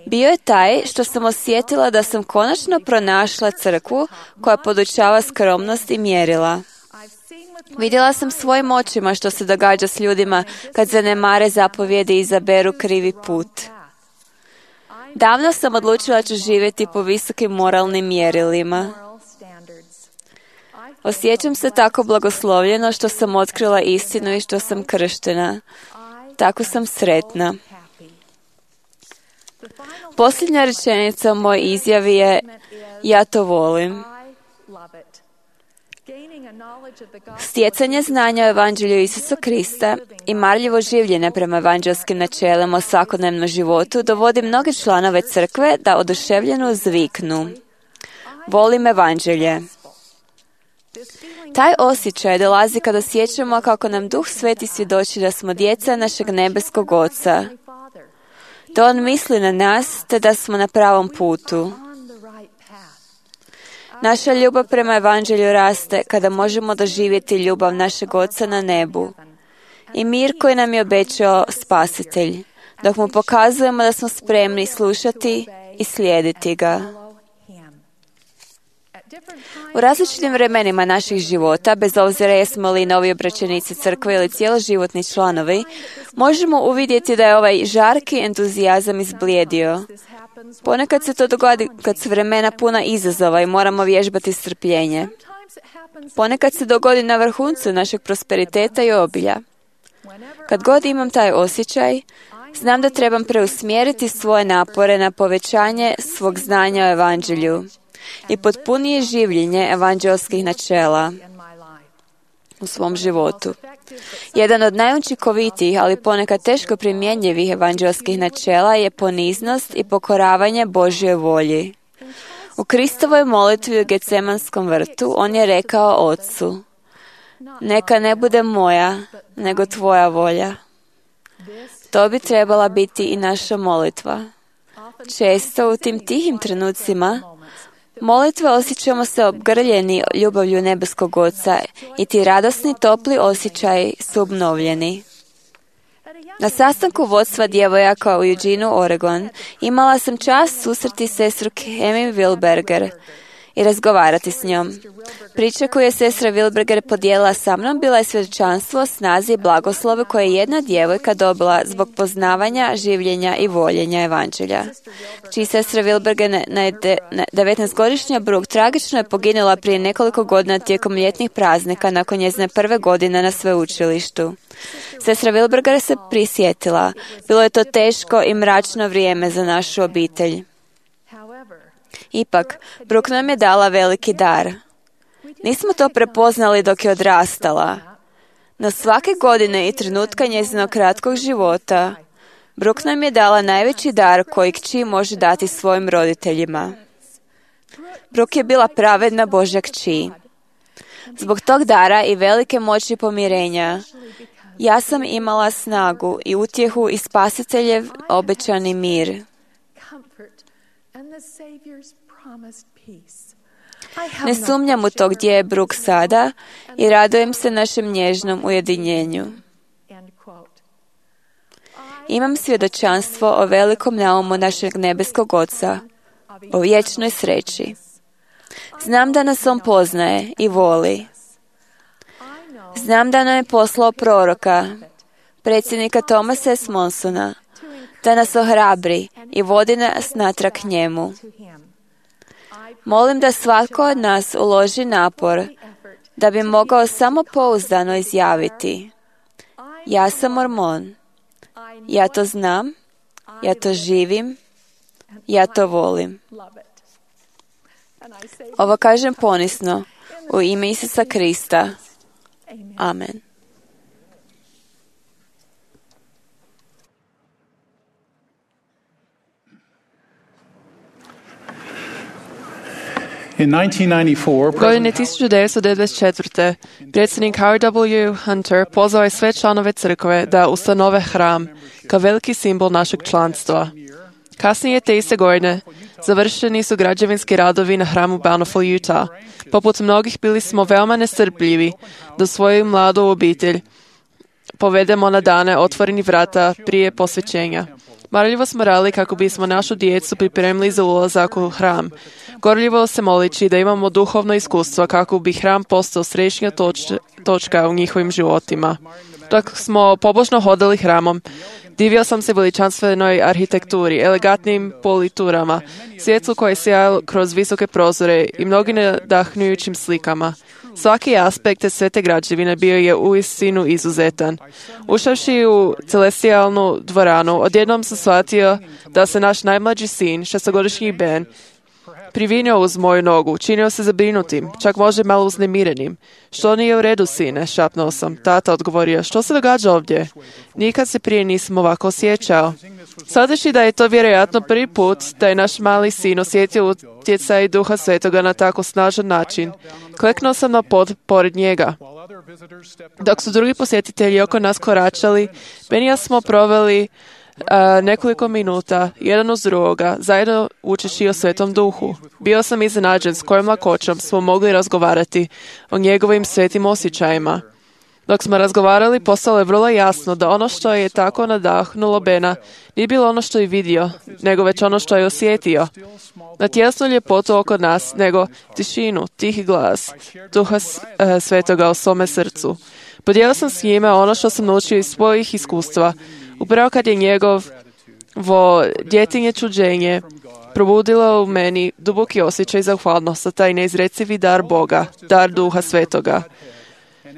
bio je taj što sam osjetila da sam konačno pronašla crkvu koja podučava skromnost i mjerila. Vidjela sam svojim očima što se događa s ljudima kad zanemare zapovjedi i izaberu krivi put. Davno sam odlučila da ću živjeti po visokim moralnim mjerilima. Osjećam se tako blagoslovljeno što sam otkrila istinu i što sam krštena. Tako sam sretna. Posljednja rečenica u mojoj izjavi je ja to volim. Stjecanje znanja o Evanđelju Isusa Krista i marljivo življenje prema evanđelskim načelima o svakodnevnom životu dovodi mnoge članove crkve da oduševljeno zviknu. Volim Evanđelje. Taj osjećaj dolazi kada osjećamo kako nam Duh Sveti svjedoči da smo djeca našeg nebeskog Oca. Da On misli na nas te da smo na pravom putu. Naša ljubav prema Evanđelju raste kada možemo doživjeti ljubav našeg Oca na nebu i mir koji nam je obećao Spasitelj, dok mu pokazujemo da smo spremni slušati i slijediti ga. U različitim vremenima naših života, bez obzira jesmo li novi obraćenici crkve ili cijeloživotni članovi, možemo uvidjeti da je ovaj žarki entuzijazam izblijedio. Ponekad se to dogodi kad su vremena puna izazova i moramo vježbati strpljenje. Ponekad se dogodi na vrhuncu našeg prosperiteta i obilja. Kad god imam taj osjećaj, znam da trebam preusmjeriti svoje napore na povećanje svog znanja o Evanđelju i potpunije življenje evanđelskih načela u svom životu. Jedan od najučinkovitijih, ali ponekad teško primjenjivih evanđelskih načela je poniznost i pokoravanje Božjoj volji. U Kristovoj molitvi u Getsemanskom vrtu on je rekao Ocu, neka ne bude moja, nego tvoja volja. To bi trebala biti i naša molitva. Često u tim tihim trenucima Molitve osjećamo se obgrljeni ljubavlju nebeskog Oca i ti radosni, topli osjećaji su obnovljeni. Na sastanku vodstva djevojaka u Eugene, Oregon, imala sam čast susreti sestru Kemi Wilberger i razgovarati s njom. Priča koju je sestra Wilberger podijelila sa mnom bila je svjedočanstvo o snazi i blagoslovu koje je jedna djevojka dobila zbog poznavanja, življenja i voljenja evanđelja. Čiji sestra Wilberger, na devetnaestogodišnja Brooke, tragično je poginula prije nekoliko godina tijekom ljetnih praznika nakon njezine prve godine na sveučilištu. Sestra Wilberger se prisjetila. Bilo je to teško i mračno vrijeme za našu obitelj. Ipak, Brooke nam je dala veliki dar. Nismo to prepoznali dok je odrastala. No svake godine i trenutka njezinog kratkog života, Brooke nam je dala najveći dar koji kći može dati svojim roditeljima. Brooke je bila pravedna Božja kći. Zbog tog dara i velike moći pomirenja, ja sam imala snagu i utjehu i Spasiteljev obećani mir. Ne sumnjam u to gdje je Brooke sada i radujem se našem nježnom ujedinjenju. Imam svjedočanstvo o velikom naumu našeg nebeskog Oca, o vječnoj sreći. Znam da nas On poznaje i voli. Znam da nam je poslao proroka, predsjednika Thomasa S. Monsona, da nas ohrabri i vodi nas natrag k njemu. Molim da svatko od nas uloži napor da bi mogao samopouzdano izjaviti: ja sam Mormon, ja to znam, ja to živim, ja to volim. Ovo kažem ponisno u ime Isusa Krista. Amen. Godine tisuću devetsto devedeset četvrte. predsjednik Howard W. Hunter pozvao je sve članove crkve da ustanove hram kao veliki simbol našeg članstva. Kasnije te iste godine završeni su građevinski radovi na hramu Bountiful, Utah. Poput mnogih bili smo veoma nestrpljivi da svoju mladu obitelj povedemo na dane otvorenih vrata prije posvećenja. Marljivo smo radili kako bismo našu djecu pripremili za ulazak u hram. Gorljivo se molići da imamo duhovno iskustvo kako bi hram postao središnja toč- točka u njihovim životima. Dok smo pobožno hodali hramom, divio sam se veličanstvenoj arhitekturi, elegantnim politurama, svjetlu koje je sjajalo kroz visoke prozore i mnogim nadahnujućim slikama. Svaki aspekt te sve te građevine bio je uistinu izuzetan. Ušavši u celestijalnu dvoranu, odjednom sam shvatio da se naš najmlađi sin, šestogodišnji Ben, privinio uz moju nogu, činio se zabrinutim, čak može malo uznemirenim. Što nije u redu, sine, šapnuo sam. Tata odgovorio, što se događa ovdje? Nikad se prije nisam ovako osjećao. Shvatajući da je to vjerojatno prvi put da je naš mali sin osjetio utjecaj Duha Svetoga na tako snažan način, kleknuo sam na pod pored njega. Dok su drugi posjetitelji oko nas koračali, Ben i ja smo proveli Uh, nekoliko minuta, jedan uz drugoga, zajedno učeći o Svetom Duhu. Bio sam iznenađen s kojom lakoćom smo mogli razgovarati o njegovim svetim osjećajima. Dok smo razgovarali, postalo je vrlo jasno da ono što je tako nadahnulo Bena nije bilo ono što je vidio, nego već ono što je osjetio. Na tjesnu ljepotu oko nas, nego tišinu, tihi glas Duha uh, Svetoga u svome srcu. Podijelio sam s njime ono što sam naučio iz svojih iskustva, upravo kad je njegovo djetinje čuđenje probudilo u meni duboki osjećaj zahvalnosti, taj neizrecivi dar Boga, dar Duha Svetoga.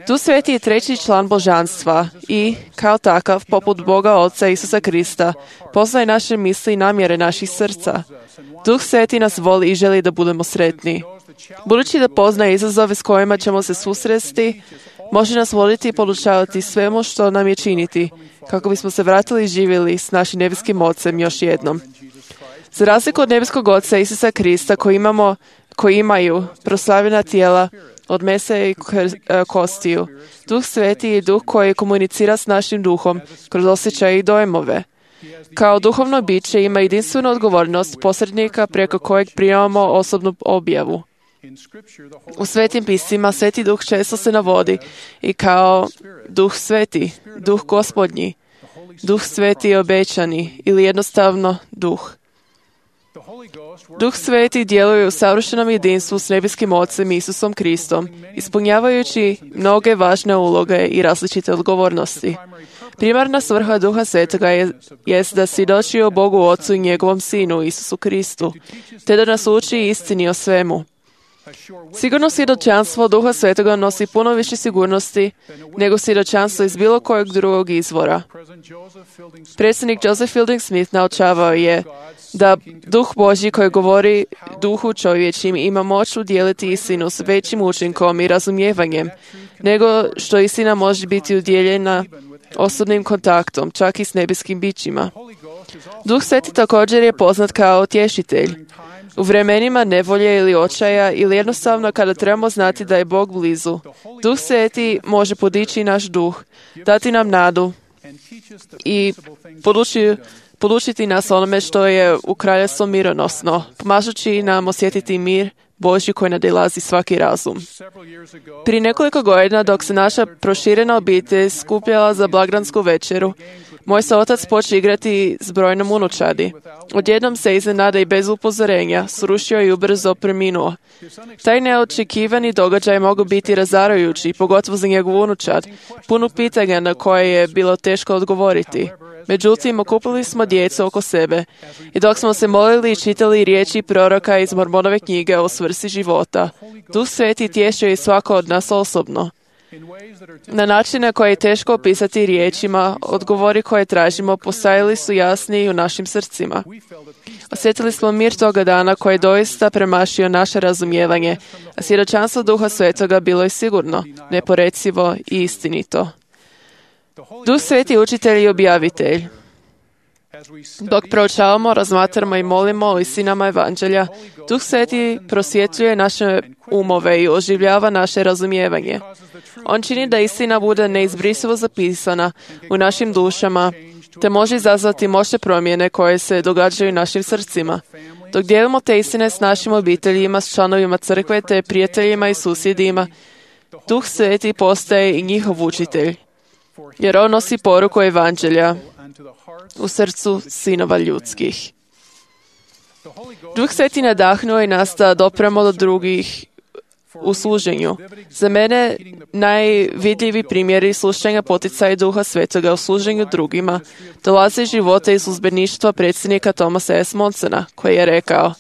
Tu Sveti je treći član božanstva i, kao takav, poput Boga Oca Isusa Krista, poznaje naše misli i namjere naših srca. Duh Sveti nas voli i želi da budemo sretni. Budući da poznaje izazove s kojima ćemo se susresti, može nas voditi i podučavati svemu što nam je činiti, kako bismo se vratili i živjeli s našim nebeskim Ocem još jednom. Za razliku od nebeskog Oca Isusa Krista koji, imamo, koji imaju proslavljena tijela od mesa i kostiju, Duh Sveti je duh koji komunicira s našim duhom kroz osjećaje i dojmove. Kao duhovno biće ima jedinstvenu odgovornost posrednika preko kojeg primamo osobnu objavu. U svetim pismima Sveti Duh često se navodi i kao Duh Sveti, Duh Gospodnji, Duh Sveti obećani ili jednostavno Duh. Duh Sveti djeluje u savršenom jedinstvu s nebeskim Ocem Isusom Kristom, ispunjavajući mnoge važne uloge i različite odgovornosti. Primarna svrha Duha Svetoga je jest da svjedoči o Bogu Ocu i njegovom Sinu Isusu Kristu, te da nas uči istini o svemu. Sigurno svjedočanstvo Duha Svetoga nosi puno više sigurnosti nego svjedočanstvo iz bilo kojeg drugog izvora. Predsjednik Joseph Fielding Smith naučavao je da Duh Božji koji govori duhu čovječim ima moć udjeliti istinu s većim učinkom i razumijevanjem, nego što istina može biti udjeljena osobnim kontaktom, čak i s nebeskim bićima. Duh Sveti također je poznat kao utješitelj. U vremenima nevolje ili očaja ili jednostavno kada trebamo znati da je Bog blizu, Duh Sveti može podići naš duh, dati nam nadu i poduči, podučiti nas onome što je u kraljevstvu mironosno, pomažući nam osjetiti mir Božji koji nadilazi svaki razum. Prije nekoliko godina dok se naša proširena obitelj skupljala za blagdansku večeru, moj se otac počeo igrati s brojnom unučadi. Odjednom se iznenada i bez upozorenja srušio i ubrzo preminuo. Taj neočekivani događaj mogu biti razarajući, pogotovo za njegovu unučad, puno pitanja na koje je bilo teško odgovoriti. Međutim, okupili smo djecu oko sebe i dok smo se molili i čitali riječi proroka iz Mormonove knjige o svrsi života, Duh Sveti tješio i svako od nas osobno. Na načine koje je teško opisati riječima, odgovori koje tražimo postajali su jasniji u našim srcima. Osjetili smo mir toga dana koji je doista premašio naše razumijevanje, a svjedočanstvo Duha Svetoga bilo je sigurno, neporecivo i istinito. Duh Sveti je učitelj i objavitelj. Dok proučavamo, razmatramo i molimo o istinama evanđelja, Duh Sveti prosvjetljuje naše umove i oživljava naše razumijevanje. On čini da istina bude neizbrisivo zapisana u našim dušama, te može izazvati moćne promjene koje se događaju u našim srcima. Dok dijelimo te istine s našim obiteljima, s članovima crkve, te prijateljima i susjedima, Duh Sveti postaje i njihov učitelj, jer on nosi poruku evanđelja u srcu sinova ljudskih. Duh Sveti nadahnuo i nas da dopremo do drugih u služenju. Za mene najvidljiviji primjeri slušanja poticaja Duha Svetoga u služenju drugima dolaze iz života i službeništva predsjednika Thomasa S. Monsona, koji je rekao: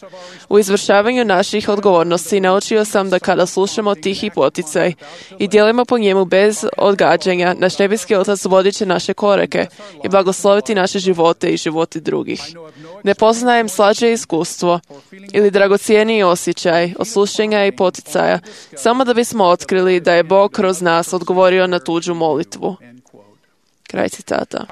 u izvršavanju naših odgovornosti naučio sam da kada slušamo tihi poticaj i djelujemo po njemu bez odgađanja, naš nebeski Otac vodit će naše korake i blagosloviti naše živote i živote drugih. Ne poznajem slađe iskustvo ili dragocijeniji osjećaj od slušanja i poticaja, samo da bismo otkrili da je Bog kroz nas odgovorio na tuđu molitvu. Kraj citata.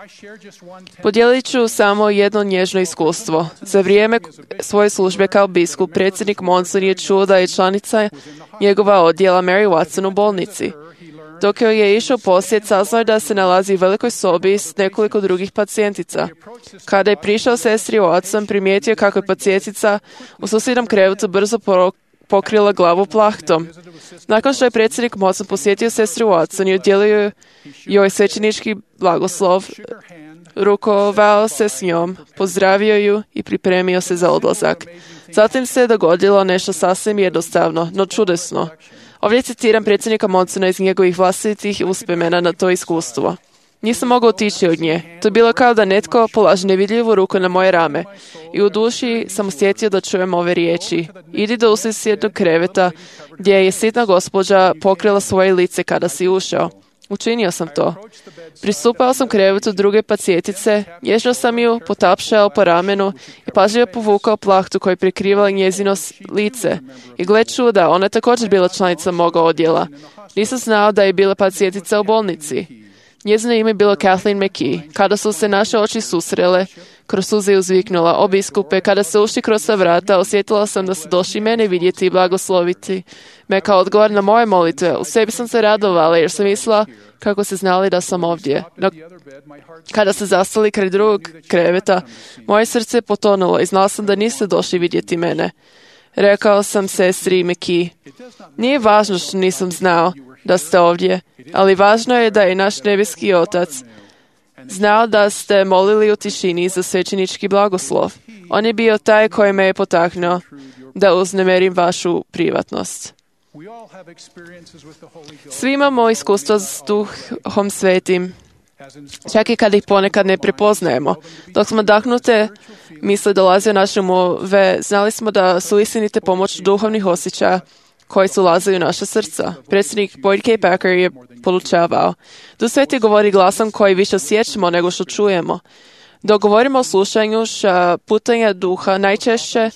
Podijelit ću samo jedno nježno iskustvo. Za vrijeme svoje službe kao biskup, predsjednik Monson je čuo da je članica njegova odjela Mary Watson u bolnici. Dok joj je išao posjet, saznao je da se nalazi u velikoj sobi s nekoliko drugih pacijentica. Kada je prišao sestri Watson, primijetio kako je pacijentica u susjednom krevetu brzo pokrila glavu plahtom. Nakon što je predsjednik Monson posjetio sestru Watson i udjelio joj svećenički blagoslov, rukovao se s njom, pozdravio ju i pripremio se za odlazak. Zatim se je dogodilo nešto sasvim jednostavno, no čudesno. Ovdje citiram predsjednika Monsona iz njegovih vlastitih uspomena na to iskustvo. Nisam mogao otići od nje. To je bilo kao da netko polaže nevidljivu ruku na moje rame. I u duši sam osjetio da čujem ove riječi. Idi do susjednog kreveta gdje je sitna gospođa pokrila svoje lice kada si ušao. Učinio sam to. Pristupao sam krevetu druge pacijentice, nježno sam ju potapšao po ramenu i pažljivo povukao plahtu koji prekrivala njezino lice. I gle čuda, ona je također bila članica moga odjela. Nisam znao da je bila pacijentica u bolnici. Njezino ime je bilo Kathleen McKee. Kada su se naše oči susrele, kroz suze je uzviknula: o biskupe, kada se ušli kroz ta vrata, osjetila sam da su došli mene vidjeti i blagosloviti me kao odgovor na moje molitve. U sebi sam se radovala jer sam mislila kako se znali da sam ovdje. No, kada ste zastali kraj drugog kreveta, moje srce je potonulo i znala sam da niste došli vidjeti mene. Rekao sam sestri Meki, nije važno što nisam znao da ste ovdje, ali važno je da je naš nebeski Otac znao da ste molili u tišini za svećenički blagoslov. On je bio taj koji me je potaknuo da uznemerim vašu privatnost. Svi imamo iskustvo s Duhom Svetim, čak i kad ih ponekad ne prepoznajemo. Dok smo dahnute misle dolaze u naše umove, znali smo da su istinite pomoć duhovnih osjećaja koji su ulazili u naša srca. Predsjednik Boyd K. Packer je poručavao: Duh Sveti govori glasom koji više osjećamo nego što čujemo. Dok govorimo o slušanju putanja duha, najčešće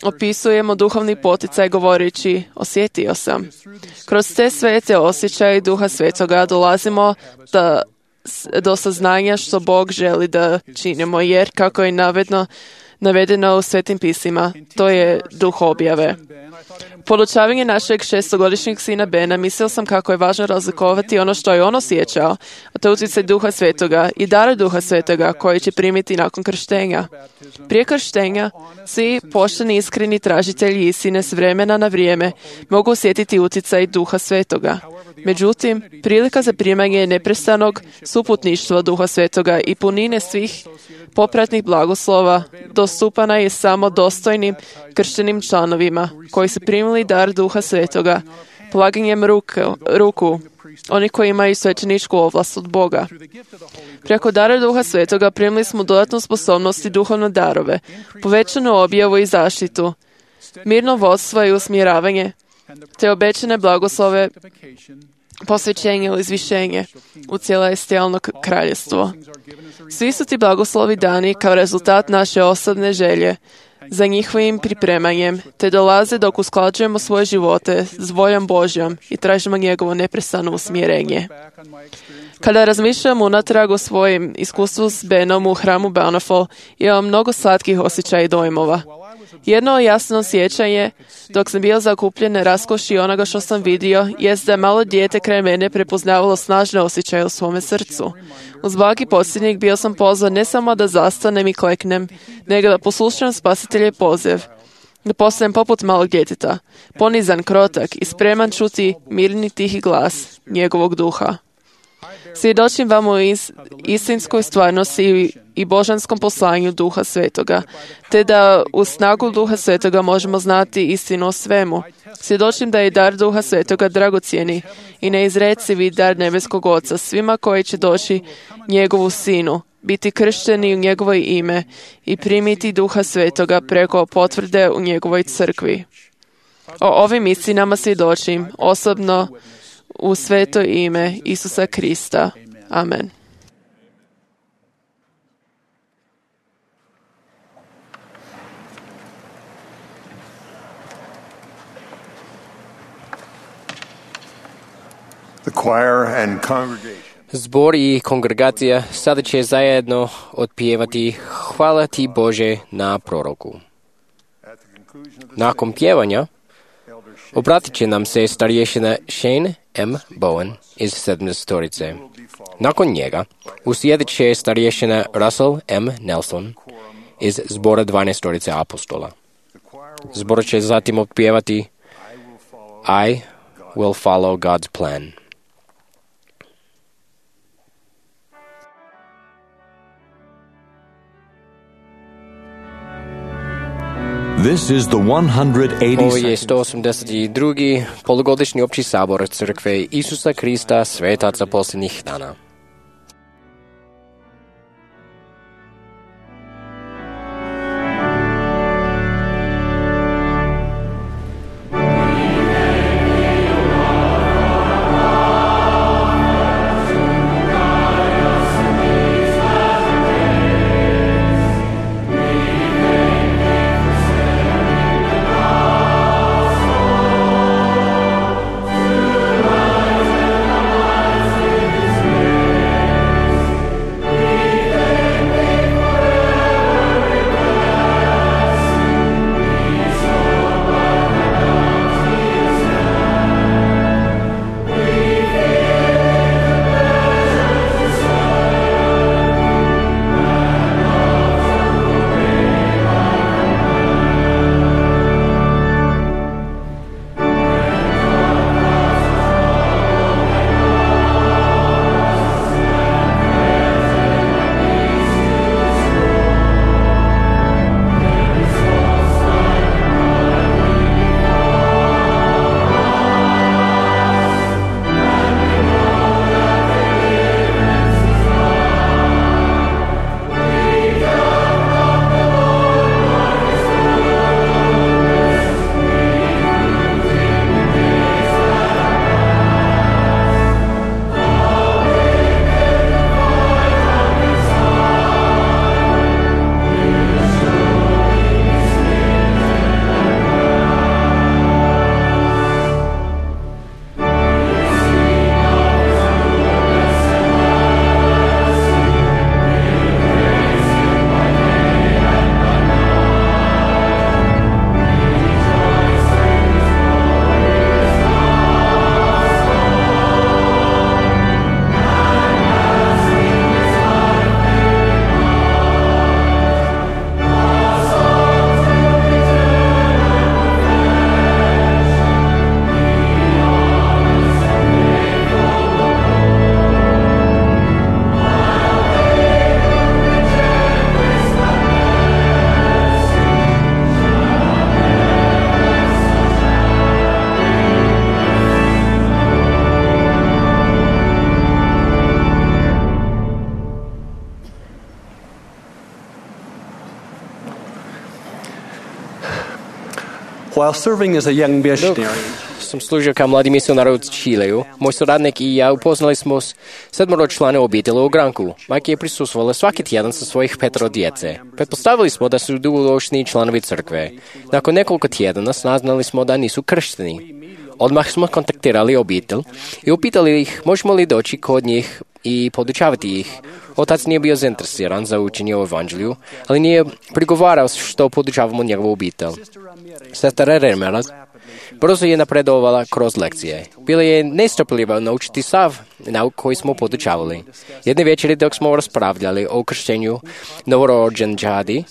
opisujemo duhovni poticaj govoreći osjetio sam. Kroz te svete osjećaje Duha Svetoga dolazimo da, do saznanja što Bog želi da činimo, jer kako je navedeno, navedeno u Svetim pisima, to je duh objave. Podučavanje našeg šestogodišnjeg sina Bena, mislio sam kako je važno razlikovati ono što je on osjećao, a to je utjecaj Duha Svetoga i dar Duha Svetoga koji će primiti nakon krštenja. Prije krštenja, svi pošteni iskreni tražitelji istine s vremena na vrijeme mogu osjetiti utjecaj Duha Svetoga. Međutim, prilika za primanje neprestanog suputništva Duha Svetoga i punine svih popratnih blagoslova dostupana je samo dostojnim krštenim članovima koji su primili dar Duha Svetoga polaganjem ruku, ruku oni koji imaju svećeničku ovlast od Boga. Preko dara Duha Svetoga primili smo dodatnu sposobnost i duhovne darove, povećanu objavu i zaštitu, mirno vodstvo i usmjeravanje, te obećane blagoslove, posvećenje ili izvišenje u celestijalno kraljevstvo. Svi su ti blagoslovi dani kao rezultat naše osobne želje za njihovim pripremanjem, te dolaze dok usklađujemo svoje živote s voljom Božjom i tražimo njegovo neprestano usmjerenje. Kada razmišljam unatrag o svojim iskustvu s Benom u hramu Bountiful, imam mnogo slatkih osjećaja i dojmova. Jedno jasno sjećanje, dok sam bio zakupljen na raskoši onoga što sam vidio, jest da malo dijete kraj mene prepoznavalo snažne osjećaje u svome srcu. Uz blagi posljednjeg bio sam pozvan ne samo da zastanem i kleknem, nego da poslušam Spasiteljev poziv, da postanem poput malog djeteta, ponizan, krotak i spreman čuti mirni tihi glas njegovog duha. Svjedočim vam o is, istinskoj stvarnosti i, i božanskom poslanju Duha Svetoga, te da u snagu Duha Svetoga možemo znati istinu o svemu. Svjedočim da je dar Duha Svetoga dragocjeni i neizrecivi dar nebeskog Oca svima koji će doći njegovu sinu, biti kršteni u njegovo ime i primiti Duha Svetoga preko potvrde u njegovoj crkvi. O ovim istinama svjedočim osobno u sveto ime Isusa Krista. Amen. The choir and congregation. Zbor i kongregacija sada će zajedno otpjevati Hvala ti Bože na proroku. Nakon pjevanja obratit će nam se starješina Shane M. Bowen iz sedamdesetorice. Nakon njega uslijedit će starješina Russell M. Nelson iz zbora dvanaestorice apostola. Zbor će zatim otpjevati I will follow God's plan. This is the one hundred Ovo je eighty-second sto osamdeset drugi polugodišnji opći sabor Crkve Isusa Krista svetaca posljednjih dana. Thank you. While serving as a young Dok missionary, sam služio kao mladi misionar u Čileju, moj suradnik i ja upoznali smo sedmoro člana obitelji u Granku. Majka je prisustvovala svaki tjedan sa svojih petero djece. Pretpostavili smo da su dugoročni članovi crkve. Nakon nekoliko tjedana saznali smo da nisu kršteni. Odmah smo kontaktirali obitelj i upitali ih možemo li doći kod njih i podučavati ih. Otac nije bio zainteresiran za učenje o evanđelju, ali nije prigovarao što podučavamo njegovu obitelj. Sestra Ramirez brzo je napredovala kroz lekcije. Bila je nestrpljiva naučiti sav nauk koji smo podučavali. Jedne večeri dok smo raspravljali o krštenju novorođenčadi,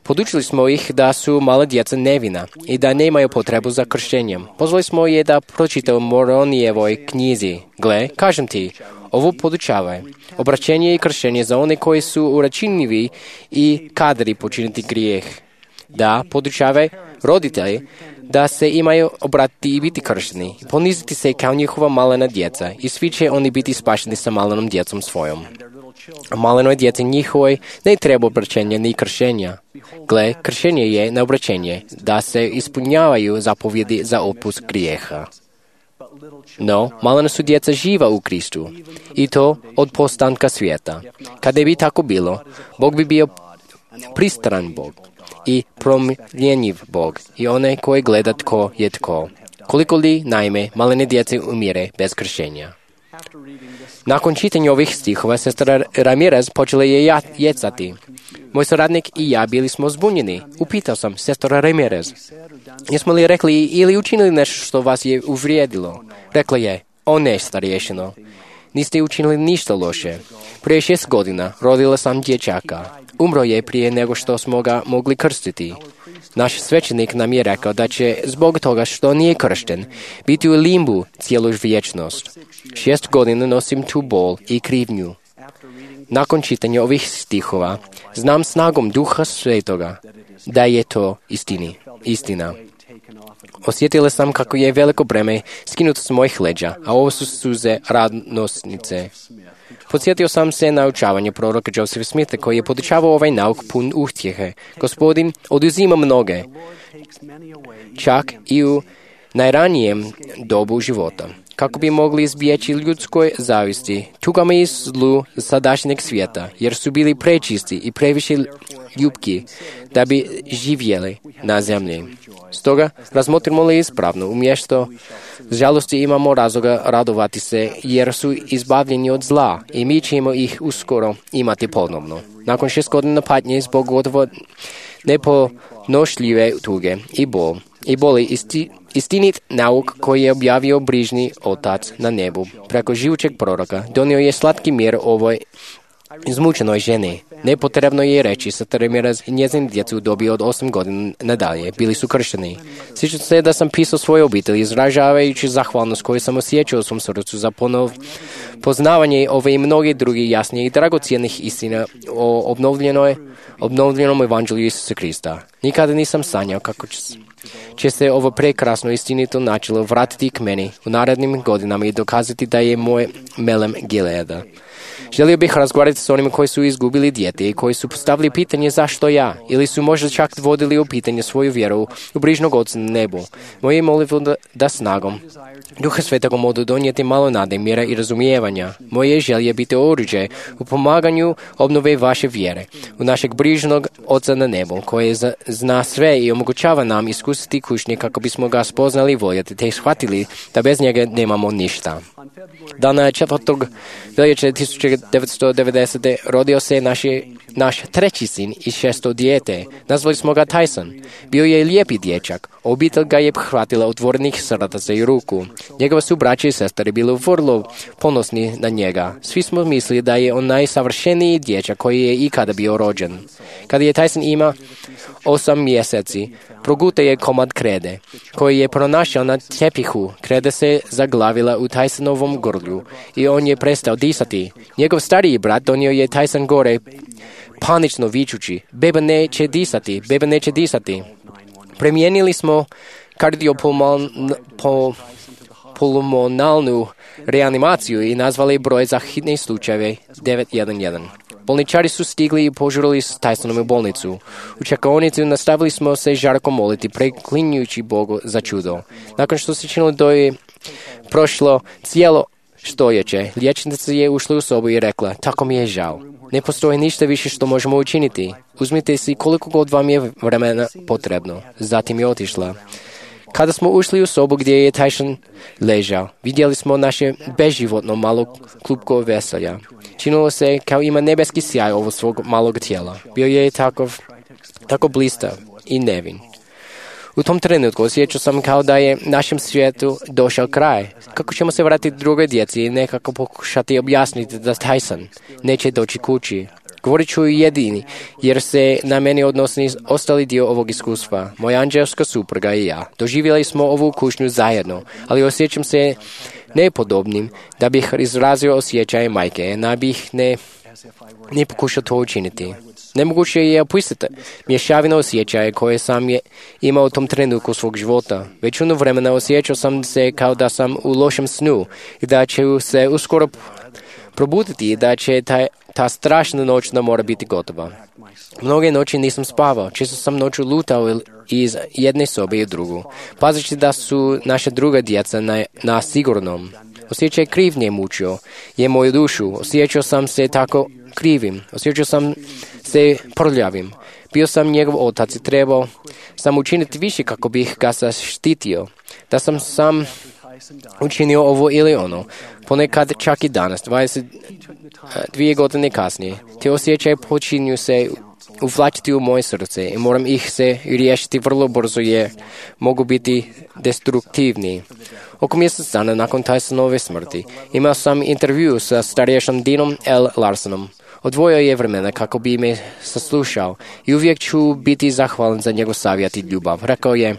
podučili smo ih da su mala djeca nevina i da nemaju potrebu za krštenjem. Pozvali smo je da pročita u Moronijevoj knjizi. Gle, kažem ti, ovo podučavaj. Obraćenje i krštenje za one koji su uračinljivi i kadri počiniti grijeh. Da podučavaj roditelji da se imaju obratiti i biti kršteni, poniziti se kao njihova malena djeca i svi će oni biti spašeni sa malenom djecom svojom. A malenoj djeci njihovoj ne treba obraćenja ni kršenja. Gle, kršenje je na obraćenje, da se ispunjavaju zapovjedi za opust grijeha. No, malena su djeca živa u Kristu i to od postanka svijeta. Kada bi tako bilo, Bog bi bio pristran Bog i promjenjiv Bog i onaj koji gleda tko je tko. Koliko li, naime, malene djece umire bez kršenja. Nakon čitanja ovih stihova, sestra Ramirez počela je jecati. Moj suradnik i ja bili smo zbunjeni. Upitao sam sestra Ramirez, jesmo li rekli ili učinili nešto što vas je uvrijedilo? Rekla je, o ne, starješino, niste učinili ništa loše. Prije šest godina rodila sam dječaka. Umro je prije nego što smo ga mogli krstiti. Naš svećenik nam je rekao da će, zbog toga što nije kršten, biti u limbu cijelu vječnost. Šest godina nosim tu bol i krivnju. Nakon čitanja ovih stihova, znam snagom Duha Svetoga da je to istini, istina. Osjetila sam kako je veliko breme skinuto s mojih leđa, a ovo su suze radosnice. Podsjetio sam se na učavanje proroka Josepha Smitha koji je podučavao ovaj nauk pun utjehe. Gospodin oduzima mnoge, čak i u najranijem dobu života, kako bi mogli izbjeći ljudskoj zavisti, tugama i zlu sadašnjeg svijeta, jer su bili prečisti i previše ljubki da bi živjeli na zemlji. Stoga, razmotrimo li ispravno, umjesto žalosti imamo razloga radovati se, jer su izbavljeni od zla i mi ćemo ih uskoro imati ponovno. Nakon šest godina patnje zbog gotovo neponošljive tuge i bol, i boli isti, istinit nauk koji je objavio brižni Otac na nebu preko živućeg proroka, donio je slatki mir ovoj izmučenoj ženi. Nepotrebno je reći sa Ramirez i njezin djecu u dobi od osam godina nadalje bili su kršteni. Sjećam se da sam pisao svojoj obitelji izražavajući zahvalnost koju sam osjećao u svom srcu za ponov poznavanje ove i mnogi drugi jasnije i dragocijenih istina o obnovljenoj, obnovljenom evanđelju Isusa Krista. Nikada nisam sanjao kako će, će se ovo prekrasno istinito načelo vratiti k meni u narednim godinama i dokazati da je moj melem Gileada. Želio bih razgovarati s onima koji su izgubili dijete i koji su postavili pitanje zašto ja, ili su možda čak vodili u pitanje svoju vjeru u brižnog Oca na nebu. Moje je molitvo da, da snagom Duha Svetog mogu donijeti malo nade, mira i razumijevanja. Moje želje biti oruđe u pomaganju obnove vaše vjere, u našeg brižnog Oca na nebu, koji zna sve i omogućava nam iskusiti kušnje kako bismo ga spoznali i voljeti, te shvatili da bez njega nemamo ništa. Dana četvrtog veljače tisuću devetsto devedesete rodio se naši, naš treći sin i šesto dijete. Nazvali smo ga Tyson. Bio je lijepi dječak. Obitelj ga je hvatila otvorenih srdaca i ruku. Njegova su braća i sestre bili vrlo ponosni na njega. Svi smo mislili da je on najsavršeniji dječak koji je ikada bio rođen. Kada je Tyson ima osam mjeseci, progutao je komad krede, koji je pronašao na tepihu. Kreda se zaglavila u Tysonovom grlju i on je prestao disati. Njegov stariji brat donio je Tyson gore, panično vičući, beba neće disati, beba neće disati. Premijenili smo kardiopulmonalnu reanimaciju i nazvali broj za hitne slučajeve devet jedan jedan. Bolničari su stigli i požurili s Tysonom u bolnicu. U čekaonici nastavili smo se žarko moliti, preklinjujući Bogu za čudo. Nakon što se činilo da je prošlo cijelo stoljeće, liječnica je ušla u sobu i rekla, tako mi je žao. Ne postoji ništa više što možemo učiniti. Uzmite si koliko god vam je vremena potrebno. Zatim je otišla. Kada smo ušli u sobu gdje je Tyson ležao, vidjeli smo naše beživotno malo klupko veselja. Činilo se kao ima nebeski sjaj ovo svog malog tijela. Bio je takov, tako blistav i nevin. U tom trenutku osjećao sam kao da je našem svijetu došao kraj. Kako ćemo se vratiti drugoj djeci i nekako pokušati objasniti da Tyson neće doći kući. Govorit ću jedini, jer se na meni odnosi ostali dio ovog iskustva. Moja anđelska supruga i ja. Doživjeli smo ovu kušnju zajedno, ali osjećam se nepodobnim da bih izrazio osjećaje majke, da bih ne, ne pokušao to učiniti. Nemoguće je opisati mješavino osjećaje koje sam je imao u tom trenutku svog života. Većinu vremena osjećao sam se kao da sam u lošem snu i da ću se uskoro probuditi i da će ta, ta strašna noć da mora biti gotova. Mnoge noći nisam spavao, često sam noću lutao iz jedne sobe u drugu, pazeći da su naša druga djeca na, na sigurnom. Osjećaj krivnje mučio je moju dušu, osjećao sam se tako krivim, osjećao sam se prljavim. Bio sam njegov otac i trebao sam učiniti više kako bih ga zaštitio. Da sam sam učinio ovo ili ono, ponekad čak i danas, dvadeset dvije godine kasnije. Te osjećaje počinju se uvlačiti u moje srce i moram ih se riješiti vrlo brzo jer mogu biti destruktivni. Oko mjesec dana nakon Tysonove smrti imao sam intervju sa starješom Dinom L. Larsonom. Odvojio je vremena kako bi me saslušao i uvijek ću biti zahvalan za njegov savjet i ljubav. Rekao je,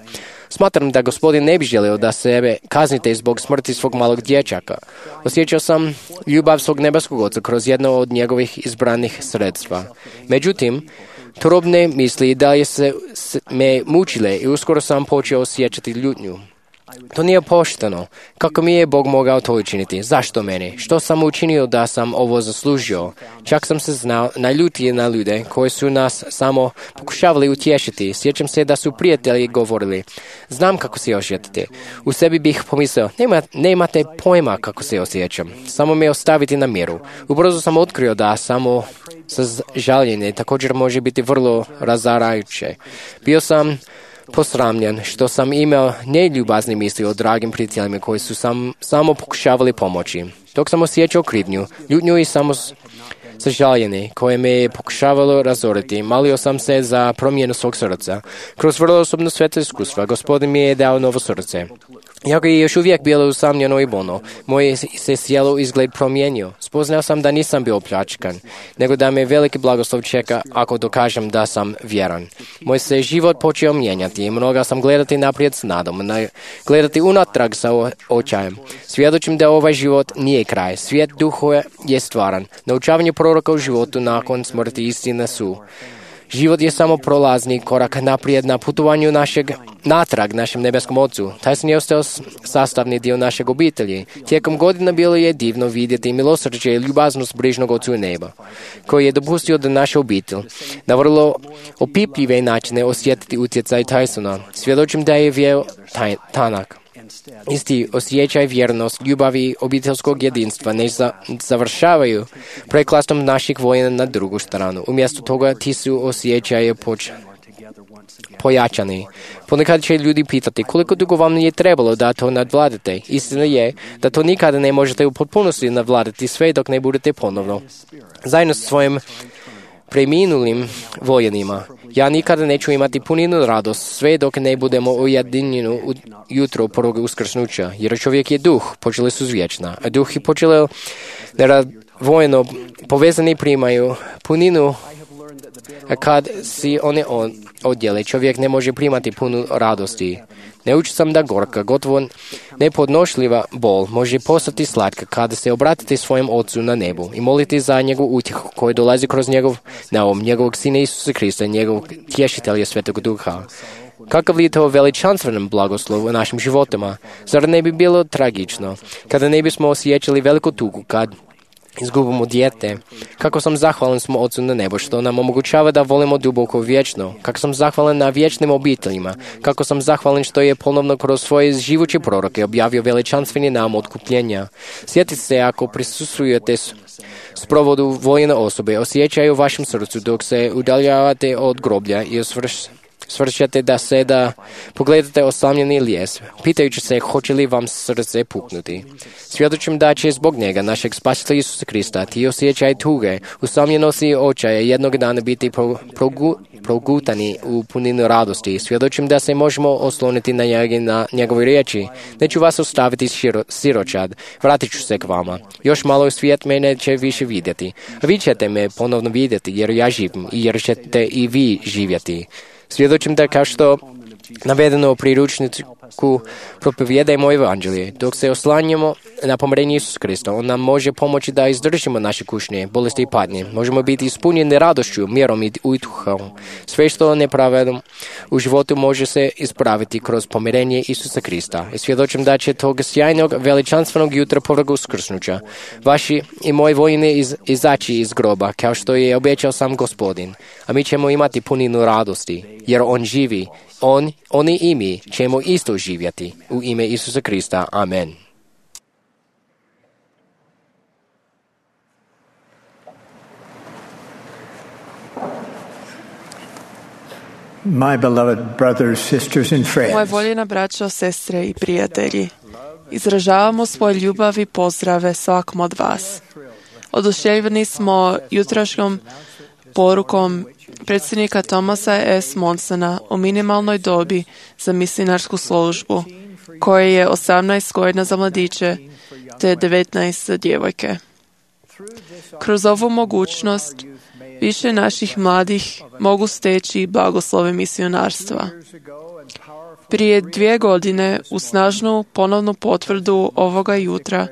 smatram da gospodin ne bi želio da sebe kaznite zbog smrti svog malog dječaka. Osjećao sam ljubav svog nebeskog oca kroz jedno od njegovih izbranih sredstva. Međutim, turobne misli i dalje se, se me mučile i uskoro sam počeo osjećati ljutnju. To nije pošteno. Kako mi je Bog mogao to učiniti? Zašto meni? Što sam učinio da sam ovo zaslužio? Čak sam se znao naljutiti na ljude koji su nas samo pokušavali utješiti. Sjećam se da su prijatelji govorili, znam kako se osjećate. U sebi bih pomislio, nema, nemate pojma kako se osjećam. Samo me ostaviti na miru. Ubrzo sam otkrio da samo žaljenje također može biti vrlo razarajuće. Bio sam posramljen što sam imao neljubazne misli o dragim prijateljima koji su sam, samo pokušavali pomoći. Dok sam osjećao krivnju, ljutnju i samo sažaljenje koje me je pokušavalo razoriti, molio sam se za promjenu svog srca. Kroz vrlo osobno sveto iskustva, Gospodin mi je dao novo srce. Iako je još uvijek bilo usamljeno i bolno, moje se sjelo izgled promijenio. Spoznao sam da nisam bio opljačkan, nego da me veliki blagoslov čeka ako dokažem da sam vjeran. Moj se život počeo mijenjati i mnoga sam gledati naprijed s nadom, gledati unatrag sa očajem. Svjedočim da ovaj život nije kraj. Svijet duhova je stvaran. Naučavanje proroka u životu nakon smrti istine su. Život je samo prolazni korak naprijed na putovanju našeg natrag našem nebeskom Ocu. Tyson je ostao sastavni dio našeg obitelji. Tijekom godina bilo je divno vidjeti milosrđe i ljubaznost brižnog Ocu neba, koji je dopustio da naša obitelj na vrlo opipljive načine osjetiti utjecaj Tysona. Svjedočim da je vjeo taj, tanak. Isti osjećaj, vjernost, ljubav i obiteljskog jedinstva ne za, završavaju preklastom naših vojena na drugu stranu. Umjesto toga ti su osjećaje poč, pojačani. Ponekad će ljudi pitati koliko dugo vam je trebalo da to nadvladate. Istina je da to nikada ne možete u potpunosti nadvladati sve dok ne budete ponovno zajedno sa svojim preminulim vojenima. Ja nikada neću imati puninu radost sve dok ne budemo ujedinjeni u jutro prvog uskrsnuća, jer čovjek je duh, počeli su zvječna, a duh i počeli vojno povezani primaju puninu, a kad si one odjele, čovjek ne može primati punu radosti. Naučio sam da gorka, gotovo nepodnošljiva bol može postati slatka kada se obratite svojem Ocu na nebu i molite za njegov utjehu koji dolazi kroz njegov naum, njegovog Sina Isusa Krista, njegovog tješitelja Svetog Duha. Kakav li je to veličanstven blagoslov u našim životima? Zar ne bi bilo tragično kada ne bismo osjećali veliku tugu kad izgubimo dijete. Kako sam zahvalan smo Ocu na nebo što nam omogućava da volimo duboko vječno. Kako sam zahvalan na vječnim obiteljima. Kako sam zahvalan što je ponovno kroz svoje živuće proroke objavio veličanstveni nam otkupljenja. Sjetite se ako prisustvujete sprovodu vojne osobe, osjećaju u vašem srcu dok se udaljavate od groblja i osvrš svršate da se da pogledate osamljeni lijes, pitajući se hoće li vam srce puknuti. Svjedočim da će zbog njega, našeg spasitelja Isusa Krista, ti osjećaj tuge, usamljenosti i očaje jednog dana biti pro, progu, progutani u puninu radosti. Svjedočim da se možemo osloniti na njega, na njegove riječi. Neću vas ostaviti širo, siročad, vratit ću se k vama. Još malo svijet me neće više vidjeti. A vi ćete me ponovno vidjeti jer ja živim i jer ćete i vi živjeti. Svjedočim da kao što navedeno u priručniku propovijedajmo evanđelje. Dok se oslanjamo na pomirenje Isusa Krista, on nam može pomoći da izdržimo naše kušnje, bolesti i patnje. Možemo biti ispunjeni radošću, mjerom i utjehom. Sve što nepravedno u životu može se ispraviti kroz pomirenje Isusa Krista. I svjedočim da će tog sjajnog, veličanstvenog jutra povrga uskrsnuća vaši i moji vojni iz, izaći iz groba, kao što je obećao sam Gospodin. A mi ćemo imati puninu radosti, jer on živi. On, oni i mi ćemo isto živjeti. U ime Isusa Krista. Amen. My beloved brothers, sisters and friends. Moje voljena braćo, sestre i prijatelji, izražavamo svoje ljubav i pozdrave svakom od vas. Oduševljeni smo jutrašnjom porukom predsjednika Thomasa S. Monsona o minimalnoj dobi za misionarsku službu, koje je osamnaest godina za mladiće te devetnaest za djevojke. Kroz ovu mogućnost više naših mladih mogu steći blagoslove misionarstva. Prije dvije godine u snažnu ponovnu potvrdu ovoga jutra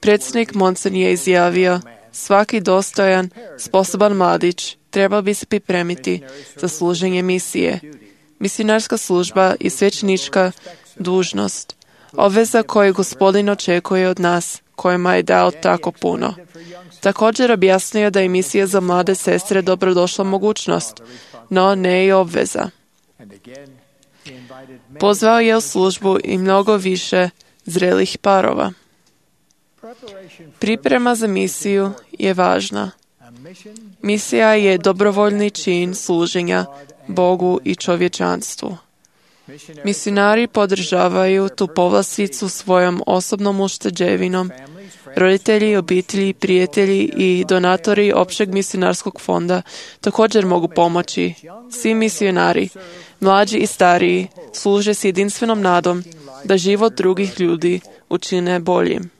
predsjednik Monson je izjavio: svaki dostojan, sposoban mladić trebao bi se pripremiti za služenje misije. Misionarska služba je svećenička dužnost, obveza koju Gospodin očekuje od nas, kojima je dao tako puno. Također objasnio da je misija za mlade sestre dobrodošla mogućnost, no ne i obveza. Pozvao je u službu i mnogo više zrelih parova. Priprema za misiju je važna. Misija je dobrovoljni čin služenja Bogu i čovječanstvu. Misionari podržavaju tu povlasticu svojom osobnom ušteđevinom. Roditelji, obitelji, prijatelji i donatori općeg misionarskog fonda također mogu pomoći. Svi misionari, mlađi i stariji, služe s jedinstvenom nadom da život drugih ljudi učine boljim.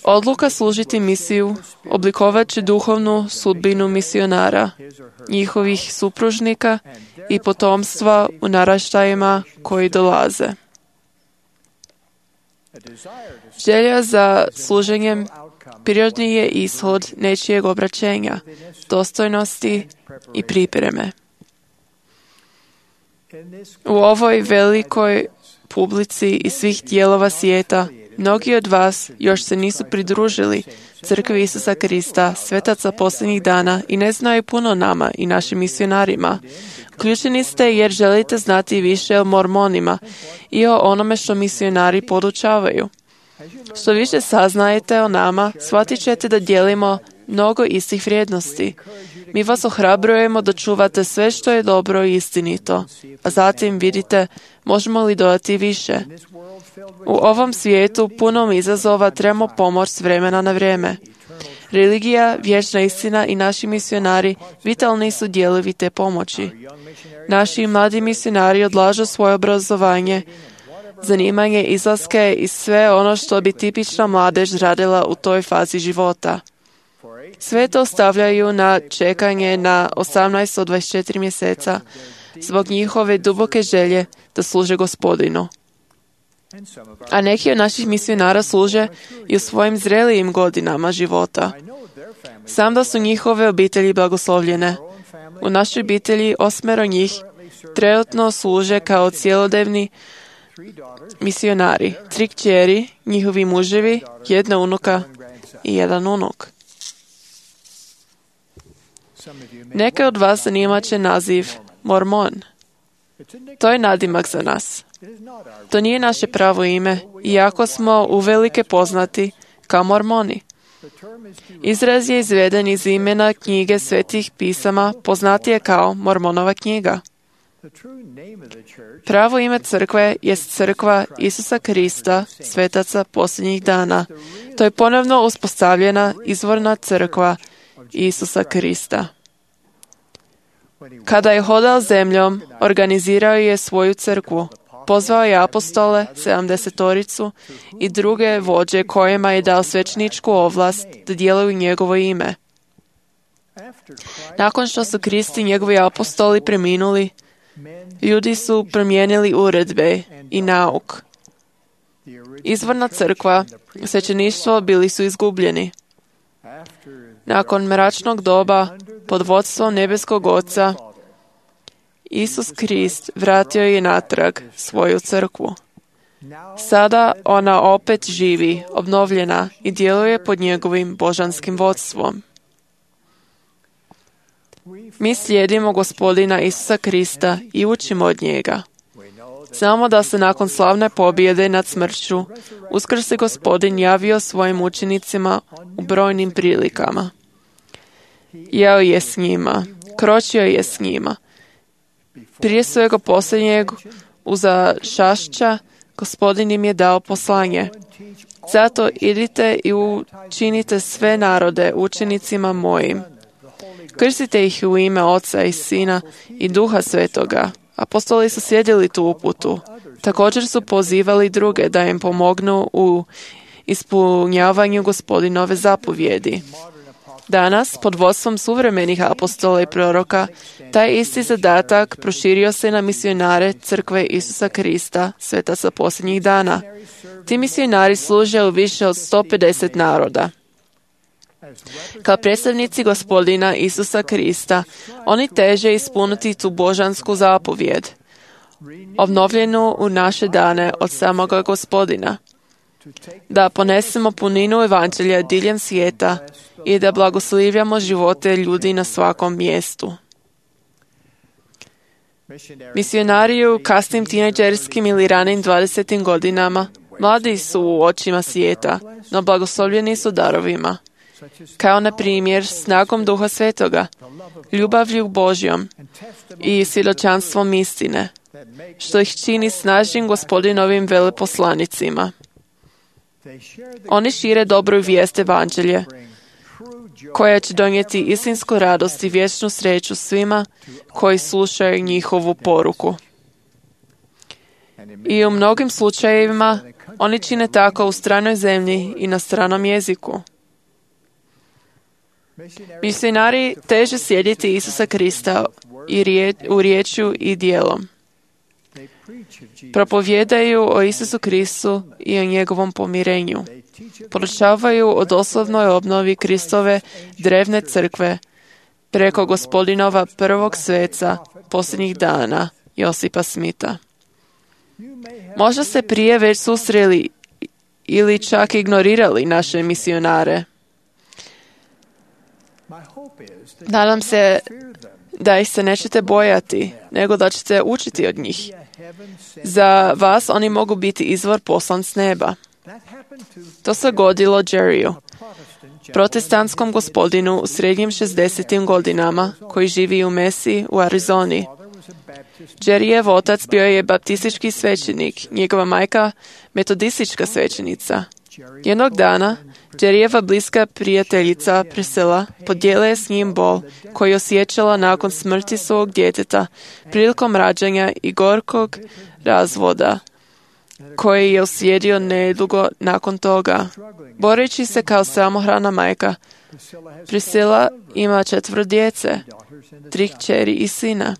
Odluka služiti misiju oblikovat će duhovnu sudbinu misionara, njihovih supružnika i potomstva u naraštajima koji dolaze. Želja za služenjem prirodni je ishod nečijeg obraćenja, dostojnosti i pripreme. U ovoj velikoj publici iz svih dijelova svijeta mnogi od vas još se nisu pridružili Crkvi Isusa Krista, svetaca posljednjih dana i ne znaju puno nama i našim misionarima. Uključeni ste jer želite znati više o mormonima i o onome što misionari podučavaju. Što više saznajete o nama, shvatit ćete da dijelimo mnogo istih vrijednosti. Mi vas ohrabrujemo da čuvate sve što je dobro i istinito, a zatim vidite možemo li dodati više. U ovom svijetu punom izazova trebamo pomoć s vremena na vrijeme. Religija, vječna istina i naši misionari vitalni su dijelovi te pomoći. Naši mladi misionari odlažu svoje obrazovanje, zanimanje, izlaske i sve ono što bi tipična mladež radila u toj fazi života. Sve to stavljaju na čekanje na osamnaest do dvadeset četiri mjeseca zbog njihove duboke želje da služe Gospodinu. A neki od naših misionara služe i u svojim zrelijim godinama života. Sam da su njihove obitelji blagoslovljene. U našoj obitelji osmero njih trenutno služe kao cjelodnevni misionari, tri kćeri, njihovi muževi, jedna unuka i jedan unuk. Neke od vas zanimat će naziv Mormon. To je nadimak za nas. To nije naše pravo ime, iako smo uvelike poznati kao Mormoni. Izraz je izveden iz imena knjige Svetih pisama, poznatije kao Mormonova knjiga. Pravo ime crkve je crkva Isusa Krista, svetaca posljednjih dana. To je ponovno uspostavljena izvorna crkva Isusa Krista. Kada je hodao zemljom, organizirao je svoju crkvu. Pozvao je apostole, sedamdesetoricu i druge vođe kojima je dao svećeničku ovlast da djeluju njegovo ime. Nakon što su Krist i njegovi apostoli preminuli, ljudi su promijenili uredbe i nauk. Izvorna crkva, svećeništvo bili su izgubljeni. Nakon mračnog doba, pod vodstvom nebeskog Oca, Isus Krist vratio je natrag svoju crkvu. Sada ona opet živi, obnovljena i djeluje pod njegovim božanskim vodstvom. Mi slijedimo Gospodina Isusa Krista i učimo od njega. Znamo da se nakon slavne pobjede nad smrću uskrsli Gospodin javio svojim učenicima u brojnim prilikama. Jeo je s njima, kročio je s njima. Prije svega posljednjeg uza čašća Gospodin im je dao poslanje. Zato idite i učinite sve narode učenicima mojim. Krstite ih u ime Oca i Sina i Duha Svetoga. Apostoli su slijedili tu uputu. Također su pozivali druge da im pomognu u ispunjavanju Gospodinove zapovjedi. Danas, pod vodstvom suvremenih apostola i proroka, taj isti zadatak proširio se na misionare crkve Isusa Krista, svetaca posljednjih dana. Ti misionari služe u više od sto pedeset naroda. Kao predstavnici Gospodina Isusa Krista, oni teže ispuniti tu božansku zapovjed, obnovljenu u naše dane od samoga Gospodina, da ponesemo puninu evanđelja diljem svijeta i da blagoslivljamo živote ljudi na svakom mjestu. Misionari u kasnim tinejdžerskim ili ranim dvadesetim godinama mladi su u očima svijeta, no blagoslovljeni su darovima, kao na primjer snagom Duha Svetoga, ljubavlju Božjom i svjedočanstvom istine, što ih čini snažnim Gospodinovim veleposlanicima. Oni šire dobru vijest evanđelje, koja će donijeti istinsku radost i vječnu sreću svima koji slušaju njihovu poruku. I u mnogim slučajevima oni čine tako u stranoj zemlji i na stranom jeziku. Misionari teže slijediti Isusa Krista i rije, u riječju i djelom. Propovijedaju o Isusu Kristu i o njegovom pomirenju. Poručavaju o doslovnoj obnovi Kristove drevne crkve preko Gospodinova prvog sveca posljednjih dana, Josipa Smita. Možda ste prije već susreli ili čak ignorirali naše misionare. Nadam se da ih se nećete bojati, nego da ćete učiti od njih. Za vas oni mogu biti izvor poslan s neba. To se godilo Jerryu, protestantskom gospodinu u srednjim šezdesetim godinama, koji živi u Mesi u Arizoni. Jerryjev otac bio je baptistički svećenik, njegova majka metodistička svećenica. Jednog dana, Jerryjeva bliska prijateljica Priscilla podijela je s njim bol koji osjećala nakon smrti svog djeteta prilikom rađanja i gorkog razvoda koji je uslijedio nedugo nakon toga. Boreći se kao samohrana majka, Priscilla ima četvro djece, tri kćeri i sina.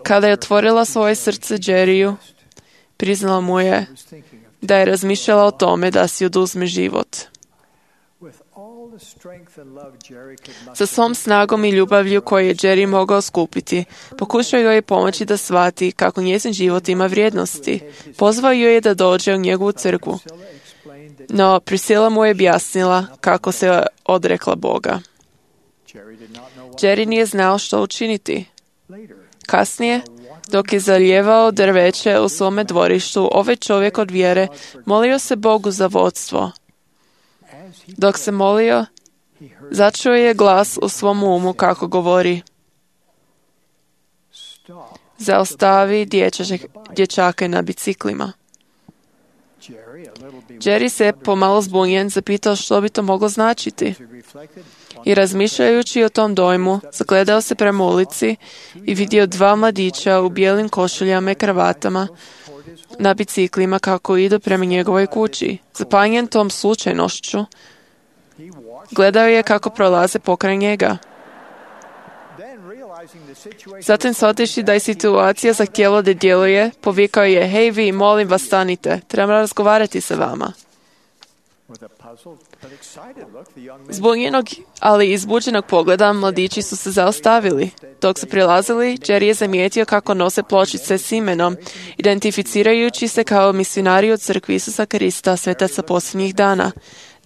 Kada je otvorila svoje srce Jerryu, priznala mu je da je razmišljala o tome da si oduzme život. Sa svom snagom i ljubavlju koju je Jerry mogao skupiti, pokušao joj je pomoći da shvati kako njezin život ima vrijednosti. Pozvao joj je da dođe u njegovu crkvu. No, Priscilla mu je objasnila kako se odrekla Boga. Jerry nije znao što učiniti. Kasnije, dok je zalijevao drveće u svome dvorištu, ovaj čovjek od vjere molio se Bogu za vodstvo. Dok se molio, začuo je glas u svom umu kako govori: zaustavi dječače, dječake na biciklima. Jerry se pomalo zbunjen zapitao što bi to moglo značiti. I razmišljajući o tom dojmu, zagledao se prema ulici i vidio dva mladića u bijelim košuljama i kravatama na biciklima kako idu prema njegovoj kući. Zapanjen tom slučajnošću, gledao je kako prolaze pokraj njega. Zatim, shvativši da je situacija zahtijela da djeluje, povikao je: hej vi, molim vas, stanite, trebam razgovarati sa vama. Zbunjenog, ali izbuđenog pogleda, mladići su se zaustavili. Dok su prilazili, Jerry je zamijetio kako nose pločice s imenom, identificirajući se kao misionari od crkvi Isusa Krista, svetaca posljednjih dana.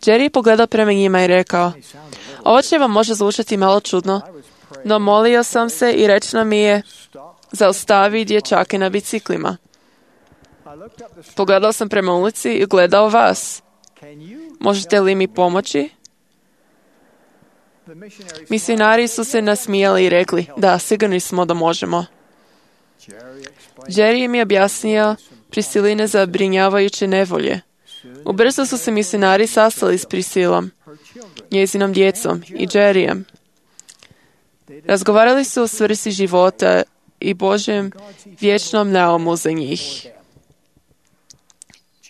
Jerry je pogledao prema njima i rekao: ovo će vam može zvučati malo čudno, no molio sam se i rečeno mi je: zaustavi dječake na biciklima. Pogledao sam prema ulici i gledao vas. Možete li mi pomoći? Misionari su se nasmijali i rekli: da, sigurni smo da možemo. Jerry im je objasnio Prisciline zabrinjavajuće nevolje. Ubrzo su se misionari sastali s Priscilom, njezinom djecom i Jerryjem. Razgovarali su o svrsi života i Božjem vječnom naumu za njih.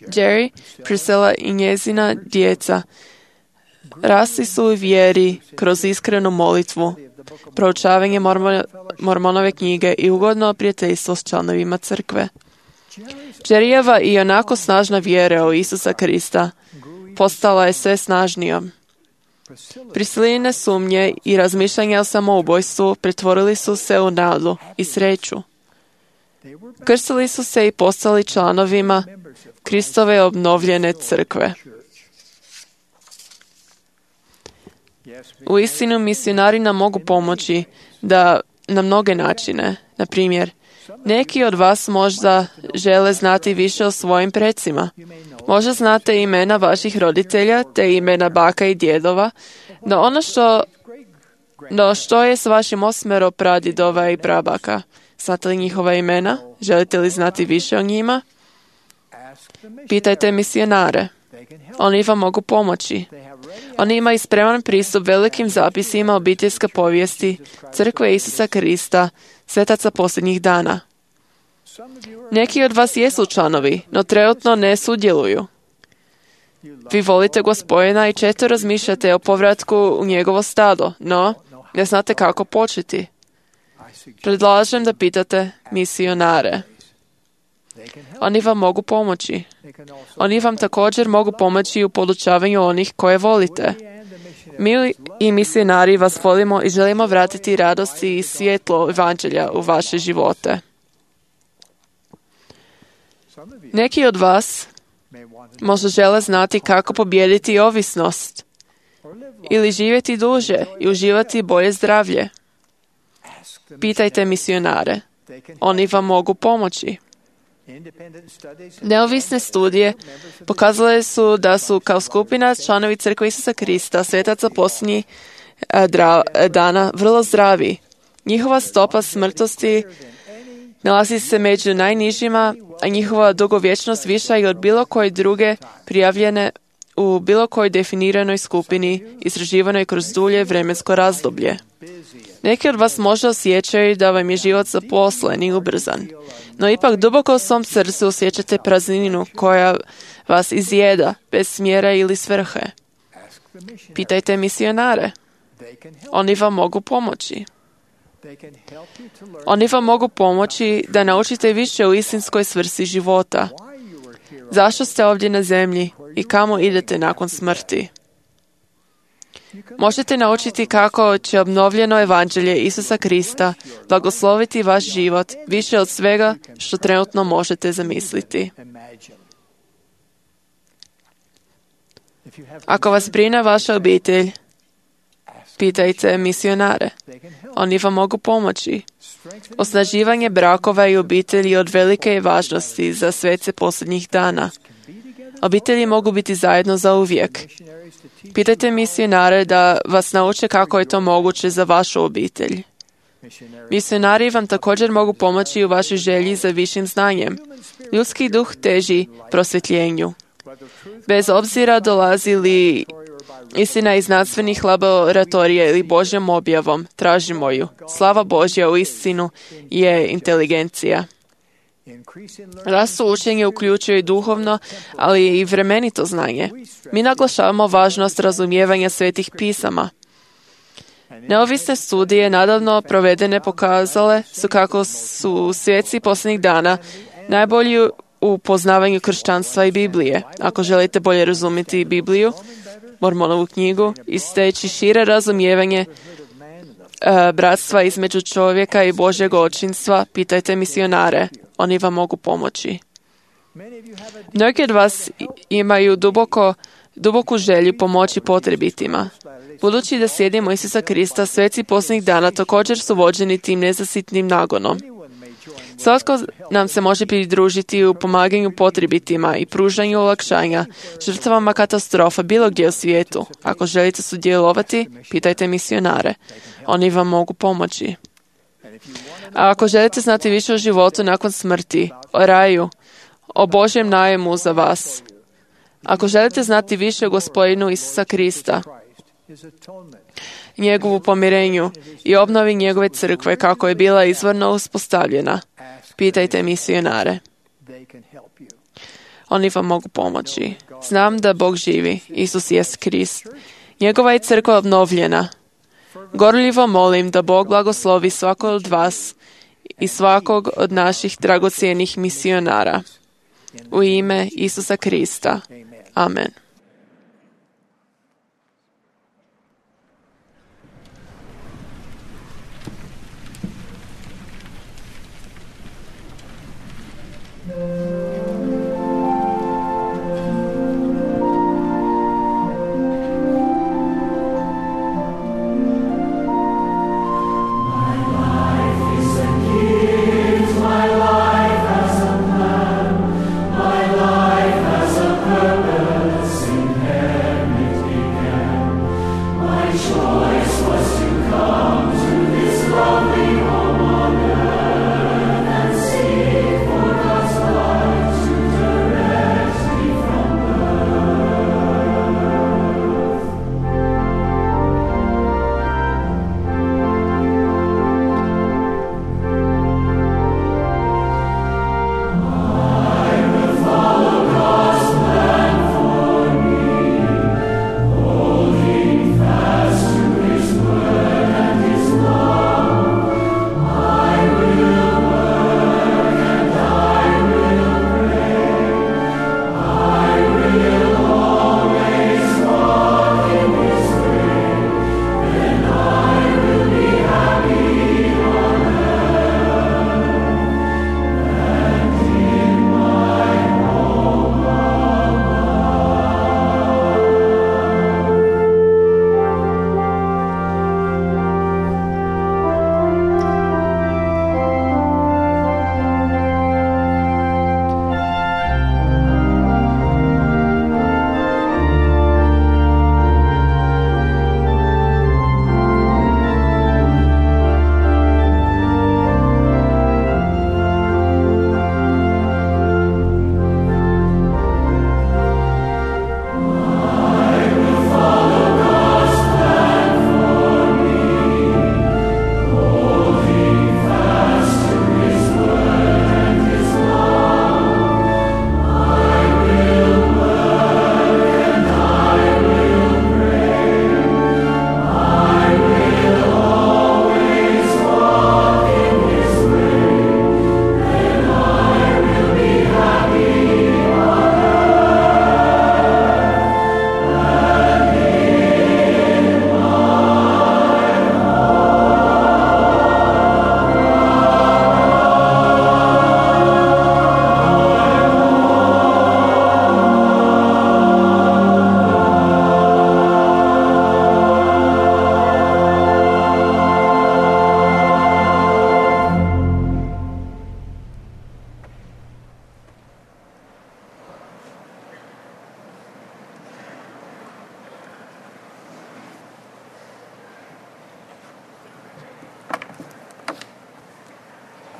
Jerry, Priscilla i njezina djeca rasli su u vjeri kroz iskrenu molitvu, proučavanje Mormon, Mormonove knjige i ugodno prijateljstvo s članovima crkve. Jerryjeva i onako snažna vjera u Isusa Krista postala je sve snažnijom. Prisciline sumnje i razmišljanja o samoubojstvu pretvorili su se u nadu i sreću. Krstili su se i postali članovima Kristove obnovljene crkve. U istinu, misionari nam mogu pomoći da na mnoge načine. Na primjer, neki od vas možda žele znati više o svojim precima. Možda znate imena vaših roditelja te imena baka i djedova, no ono što, no što je s vašim osmero pradjedova i prabaka? Znate li njihova imena? Želite li znati više o njima? Pitajte misionare. Oni vam mogu pomoći. Oni imaju spreman pristup velikim zapisima obiteljske povijesti Crkve Isusa Krista, svetaca posljednjih dana. Neki od vas jesu članovi, no trenutno ne sudjeluju. Vi volite Gospodina i često razmišljate o povratku u njegovo stado, no ne znate kako početi. Predlažem da pitate misionare. Oni vam mogu pomoći. Oni vam također mogu pomoći u podučavanju onih koje volite. Mi i misionari vas volimo i želimo vratiti radosti i svjetlo evanđelja u vaše živote. Neki od vas možda žele znati kako pobijediti ovisnost ili živjeti duže i uživati bolje zdravlje. Pitajte misionare. Oni vam mogu pomoći. Neovisne studije pokazale su da su kao skupina članovi Crkve Isusa Krista, svetaca posljednjih dana, vrlo zdravi. Njihova stopa smrtnosti nalazi se među najnižima, a njihova dugovječnost viša je od bilo koje druge prijavljene u bilo kojoj definiranoj skupini istraživanoj kroz dulje vremensko razdoblje. Neki od vas možda osjećaju da vam je život zaposlen i ubrzan, no ipak duboko u svom srcu osjećate prazninu koja vas izjeda bez smjera ili svrhe. Pitajte misionare. Oni vam mogu pomoći. Oni vam mogu pomoći da naučite više o istinskoj svrsi života. Zašto ste ovdje na zemlji i kamo idete nakon smrti? Možete naučiti kako će obnovljeno evanđelje Isusa Krista blagosloviti vaš život više od svega što trenutno možete zamisliti. Ako vas brine vaša obitelj, pitajte misionare. Oni vam mogu pomoći. Osnaživanje brakova i obitelji od velike je važnosti za svece posljednjih dana. Obitelji mogu biti zajedno za uvijek. Pitajte misionare da vas nauče kako je to moguće za vašu obitelj. Misionari vam također mogu pomoći u vašoj želji za višim znanjem. Ljudski duh teži prosvjetljenju. Bez obzira dolazi li istina iz znanstvenih laboratorija ili Božjom objavom, tražimo ju. Slava Božja u istinu je inteligencija. Rast u učenju uključuje i duhovno, ali i vremenito znanje. Mi naglašavamo važnost razumijevanja svetih pisama. Neovisne studije nadavno provedene pokazale su kako su svjetci posljednjih dana najbolji u poznavanju kršćanstva i Biblije. Ako želite bolje razumjeti Bibliju, Mormonovu knjigu, i steći šire razumijevanje e, bratstva između čovjeka i Božjeg očinstva, pitajte misionare. Oni vam mogu pomoći. Mnogi od vas imaju duboko, duboku želju pomoći potrebitima. Budući da slijedimo Isusa Krista, sveci posljednjih dana također su vođeni tim nezasitnim nagonom. Svatko nam se može pridružiti u pomaganju potrebitima i pružanju olakšanja žrtvama katastrofa bilo gdje u svijetu. Ako želite sudjelovati, pitajte misionare. Oni vam mogu pomoći. A ako želite znati više o životu nakon smrti, o raju, o Božjem najemu za vas, ako želite znati više o Gospodinu Isusa Krista, njegovu pomirenju i obnovi njegove crkve kako je bila izvorno uspostavljena, pitajte misionare. Oni vam mogu pomoći. Znam da Bog živi, Isus jest Krist. Njegova je crkva obnovljena. Gorljivo molim da Bog blagoslovi svakog od vas i svakog od naših dragocjenih misionara. U ime Isusa Krista. Amen. Lovely home on earth and seek for God's love.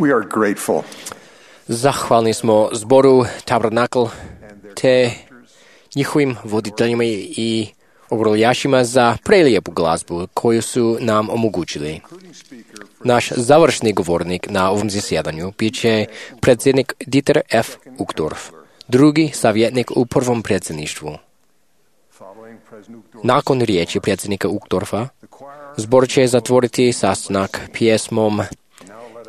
We are grateful. Zahvalni smo zboru Tabernakl te njihovim voditeljima i obroljašima za prelijepu glazbu koju su nam omogućili. Naš završni govornik na ovom zasjedanju bit će predsjednik Dieter F. Uchtdorf, drugi savjetnik u prvom predsjedništvu. Nakon riječi predsjednika Uchtdorfa, zbor će zatvoriti sastanak pjesmom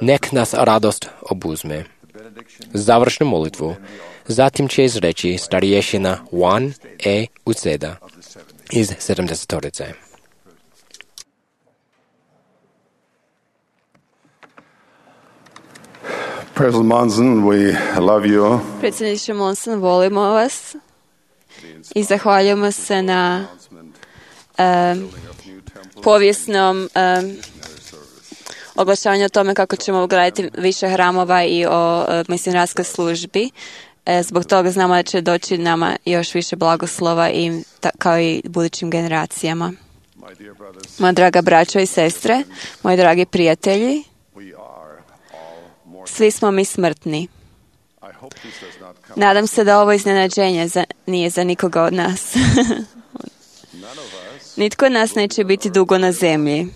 Nek nas radost obuzme. Završnu molitvu zatim će izreći starješina Juan E. Uceda iz sedamdesetorice. President Monson, we love you. Predsjedniče Monson, volimo vas i zahvaljujemo se na um, povijesnom um, oglašavanju o tome kako ćemo ugraditi više hramova i o uh, misionarskoj službi. E, zbog toga znamo da će doći nama još više blagoslova i ta, kao i budućim generacijama. Moja draga braćo i sestre, moji dragi prijatelji, svi smo mi smrtni. Nadam se da ovo iznenađenje za, nije za nikoga od nas. Nitko od nas neće biti dugo na zemlji.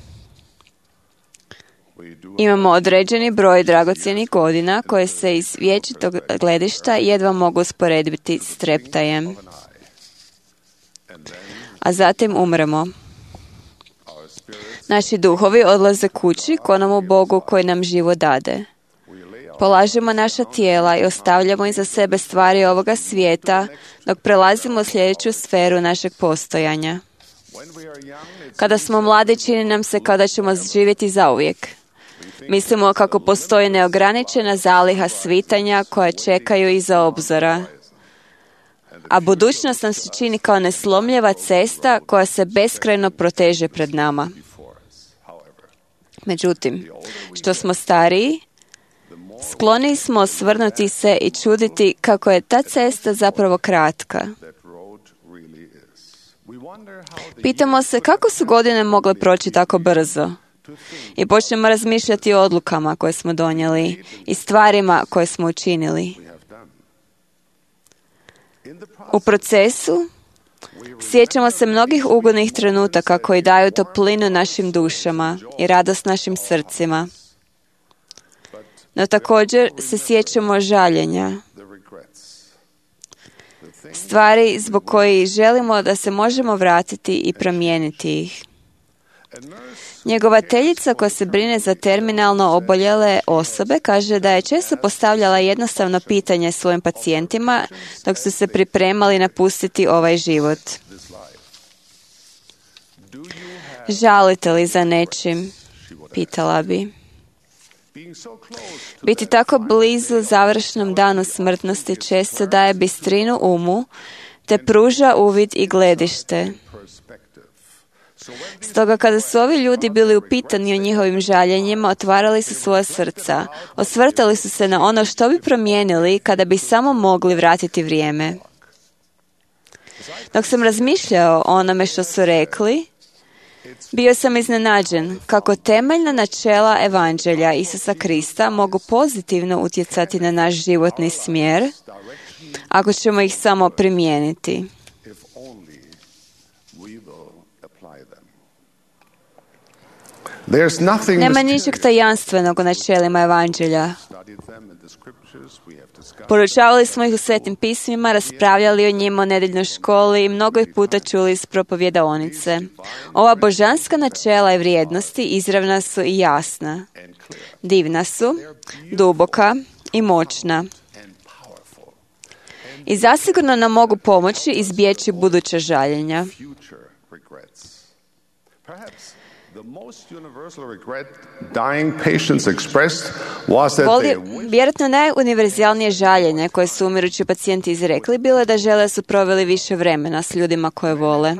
Imamo određeni broj dragocjenih godina koje se iz vječitog gledišta jedva mogu usporediti s treptajem. A zatim umremo. Naši duhovi odlaze kući k onomu Bogu koji nam život dade. Polažemo naša tijela i ostavljamo iza sebe stvari ovoga svijeta dok prelazimo u sljedeću sferu našeg postojanja. Kada smo mladi, čini nam se kao da ćemo živjeti zauvijek. Mislimo kako postoji neograničena zaliha svitanja koja čekaju iza obzora. A budućnost nam se čini kao neslomljiva cesta koja se beskrajno proteže pred nama. Međutim, što smo stariji, skloni smo osvrnuti se i čuditi kako je ta cesta zapravo kratka. Pitamo se kako su godine mogle proći tako brzo. I počnemo razmišljati o odlukama koje smo donijeli i stvarima koje smo učinili. U procesu sjećamo se mnogih ugodnih trenutaka koji daju toplinu našim dušama i radost našim srcima. No također se sjećamo žaljenja. Stvari zbog kojih želimo da se možemo vratiti i promijeniti ih. Njegovateljica koja se brine za terminalno oboljele osobe kaže da je često postavljala jednostavno pitanje svojim pacijentima dok su se pripremali napustiti ovaj život. Žalite li za nečim? Pitala bi. Biti tako blizu završnom danu smrtnosti često daje bistrinu umu te pruža uvid i gledište. Stoga kada su ovi ljudi bili upitani o njihovim žaljenjima, otvarali su svoja srca, osvrtali su se na ono što bi promijenili kada bi samo mogli vratiti vrijeme. Dok sam razmišljao o onome što su rekli, bio sam iznenađen kako temeljna načela Evanđelja Isusa Krista mogu pozitivno utjecati na naš životni smjer ako ćemo ih samo primijeniti. Nema ničeg tajanstvenog u načelima Evanđelja. Poručavali smo ih u Svetim pismima, raspravljali o njima u nedeljnoj školi i mnogo ih puta čuli iz propovjedaonice. Ova božanska načela i vrijednosti izravna su i jasna. Divna su, duboka i moćna. I zasigurno nam mogu pomoći izbjeći buduća žaljenja. Vjerojatno najuniverzalnije žaljenje koje su umirući pacijenti izrekli bilo je da žele da su proveli više vremena s ljudima koje vole.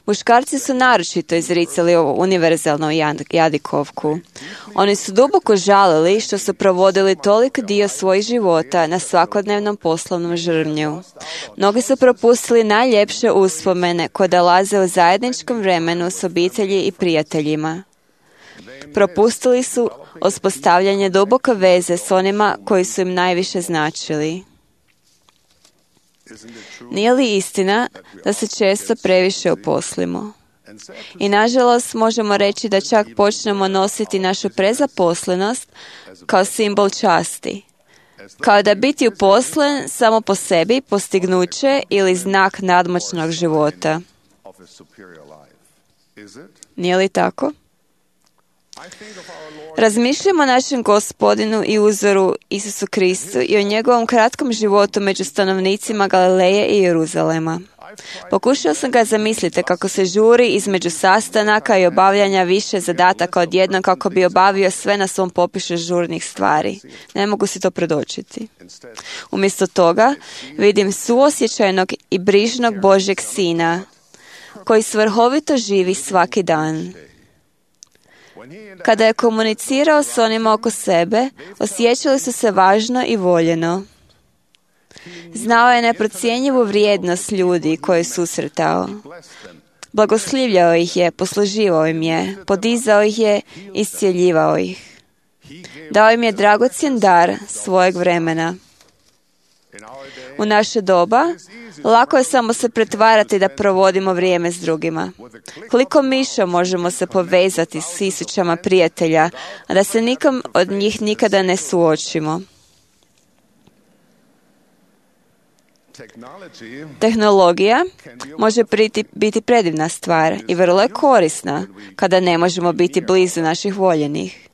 Muškarci su naročito izricali ovu univerzalnu jadikovku. Oni su duboko žalili što su provodili toliko dio svojih života na svakodnevnom poslovnom žrvnju. Mnogi su propustili najljepše uspomene koje dolaze u zajedničkom vremenu s obitelji i prijateljima. Propustili su uspostavljanje duboke veze s onima koji su im najviše značili. Nije li istina da se često previše uposlimo? I nažalost možemo reći da čak počnemo nositi našu prezaposlenost kao simbol časti. Kao da biti uposlen samo po sebi postignuće ili znak nadmoćnog života. Nije li tako? Razmišljamo o našem Gospodinu i uzoru Isusu Kristu i o njegovom kratkom životu među stanovnicima Galileje i Jeruzalema. Pokušao sam ga zamisliti kako se žuri između sastanaka i obavljanja više zadataka odjednom kako bi obavio sve na svom popisu žurnih stvari. Ne mogu si to predočiti. Umjesto toga vidim suosjećajnog i brižnog Božjeg Sina koji svrhovito živi svaki dan. Kada je komunicirao s onima oko sebe, osjećali su se važno i voljeno. Znao je neprocjenjivu vrijednost ljudi koje je susretao. Blagoslivljao ih je, posluživao im je, podizao ih je, iscjeljivao ih. Dao im je dragocjen dar svojeg vremena. U naše doba, lako je samo se pretvarati da provodimo vrijeme s drugima. Koliko miša možemo se povezati s tisućama prijatelja, a da se nikom od njih nikada ne suočimo. Tehnologija može biti, biti predivna stvar i vrlo je korisna kada ne možemo biti blizu naših voljenih.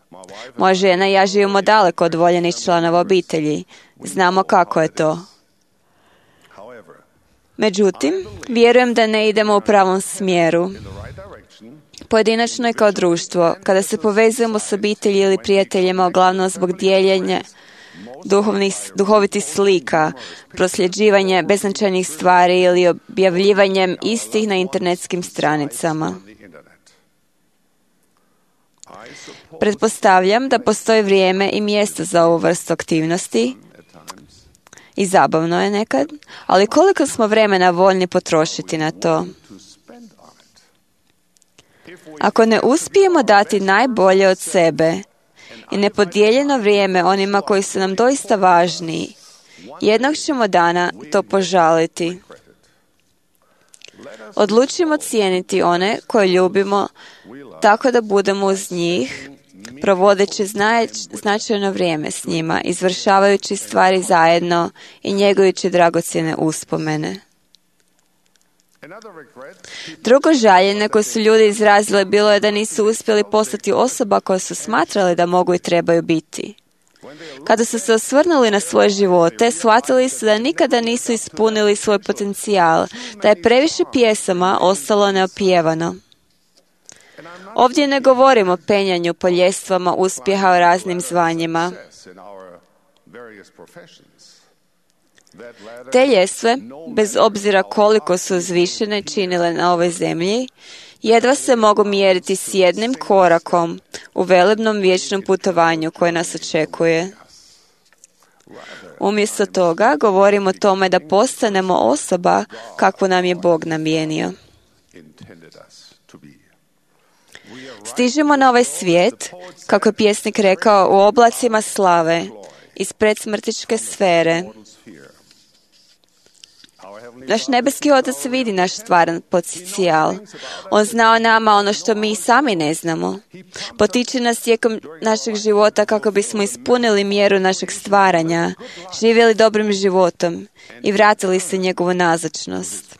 Moja žena i ja živimo daleko od voljenih članova obitelji. Znamo kako je to. Međutim, vjerujem da ne idemo u pravom smjeru. Pojedinačno i kao društvo, kada se povezujemo s obitelji ili prijateljima, uglavnom zbog dijeljenja duhovnih, duhovitih slika, prosljeđivanje beznačajnih stvari ili objavljivanjem istih na internetskim stranicama. Pretpostavljam da postoji vrijeme i mjesto za ovu vrstu aktivnosti i zabavno je nekad, ali koliko smo vremena voljni potrošiti na to? Ako ne uspijemo dati najbolje od sebe i nepodijeljeno vrijeme onima koji su nam doista važni, jednog ćemo dana to požaliti. Odlučimo cijeniti one koje ljubimo tako da budemo uz njih, provodeći značajno vrijeme s njima, izvršavajući stvari zajedno i njegujući dragocjene uspomene. Drugo žaljenje koje su ljudi izrazili bilo je da nisu uspjeli postati osoba koja su smatrali da mogu i trebaju biti. Kada su se osvrnuli na svoje živote, shvatili su da nikada nisu ispunili svoj potencijal, da je previše pjesama ostalo neopjevano. Ovdje ne govorimo o penjanju po ljestvama uspjeha u raznim zvanjima. Te ljestve, bez obzira koliko su uzvišene činile na ovoj zemlji, jedva se mogu mjeriti s jednim korakom u velebnom vječnom putovanju koje nas očekuje. Umjesto toga govorimo o tome da postanemo osoba kakvu nam je Bog namijenio. Stižemo na ovaj svijet, kako je pjesnik rekao, u oblacima slave, iz predsmrtičke sfere. Naš nebeski Otac vidi naš stvaran potencijal. On zna o nama ono što mi sami ne znamo. Potiče nas tijekom našeg života kako bismo ispunili mjeru našeg stvaranja, živjeli dobrim životom i vratili se njegovu nazočnost.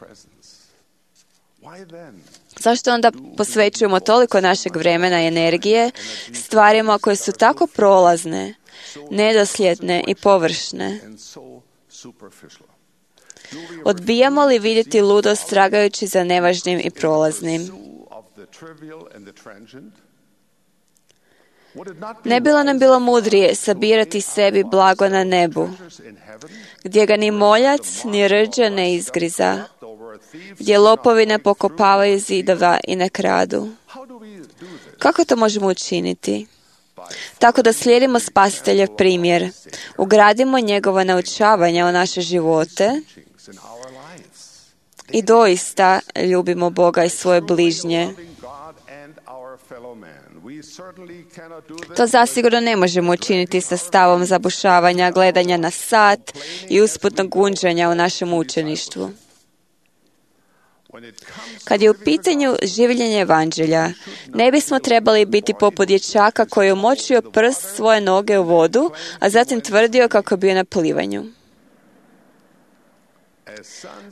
Zašto onda posvećujemo toliko našeg vremena i energije stvarima koje su tako prolazne, nedosljedne i površne? Odbijamo li vidjeti ludost tragajući za nevažnim i prolaznim? Ne bilo nam bilo mudrije sabirati sebi blago na nebu, gdje ga ni moljac ni rđa ne izgriza, gdje lopovi ne pokopavaju zidova i ne kradu. Kako to možemo učiniti? Tako da slijedimo Spasiteljev primjer, ugradimo njegova naučavanja u naše živote i doista ljubimo Boga i svoje bližnje. To zasigurno ne možemo učiniti sa stavom zabušavanja, gledanja na sat i usputnog gunđanja u našem učeništvu. Kad je u pitanju življenje evanđelja, ne bismo trebali biti poput dječaka koji je umočio prst svoje noge u vodu, a zatim tvrdio kako je bio na plivanju.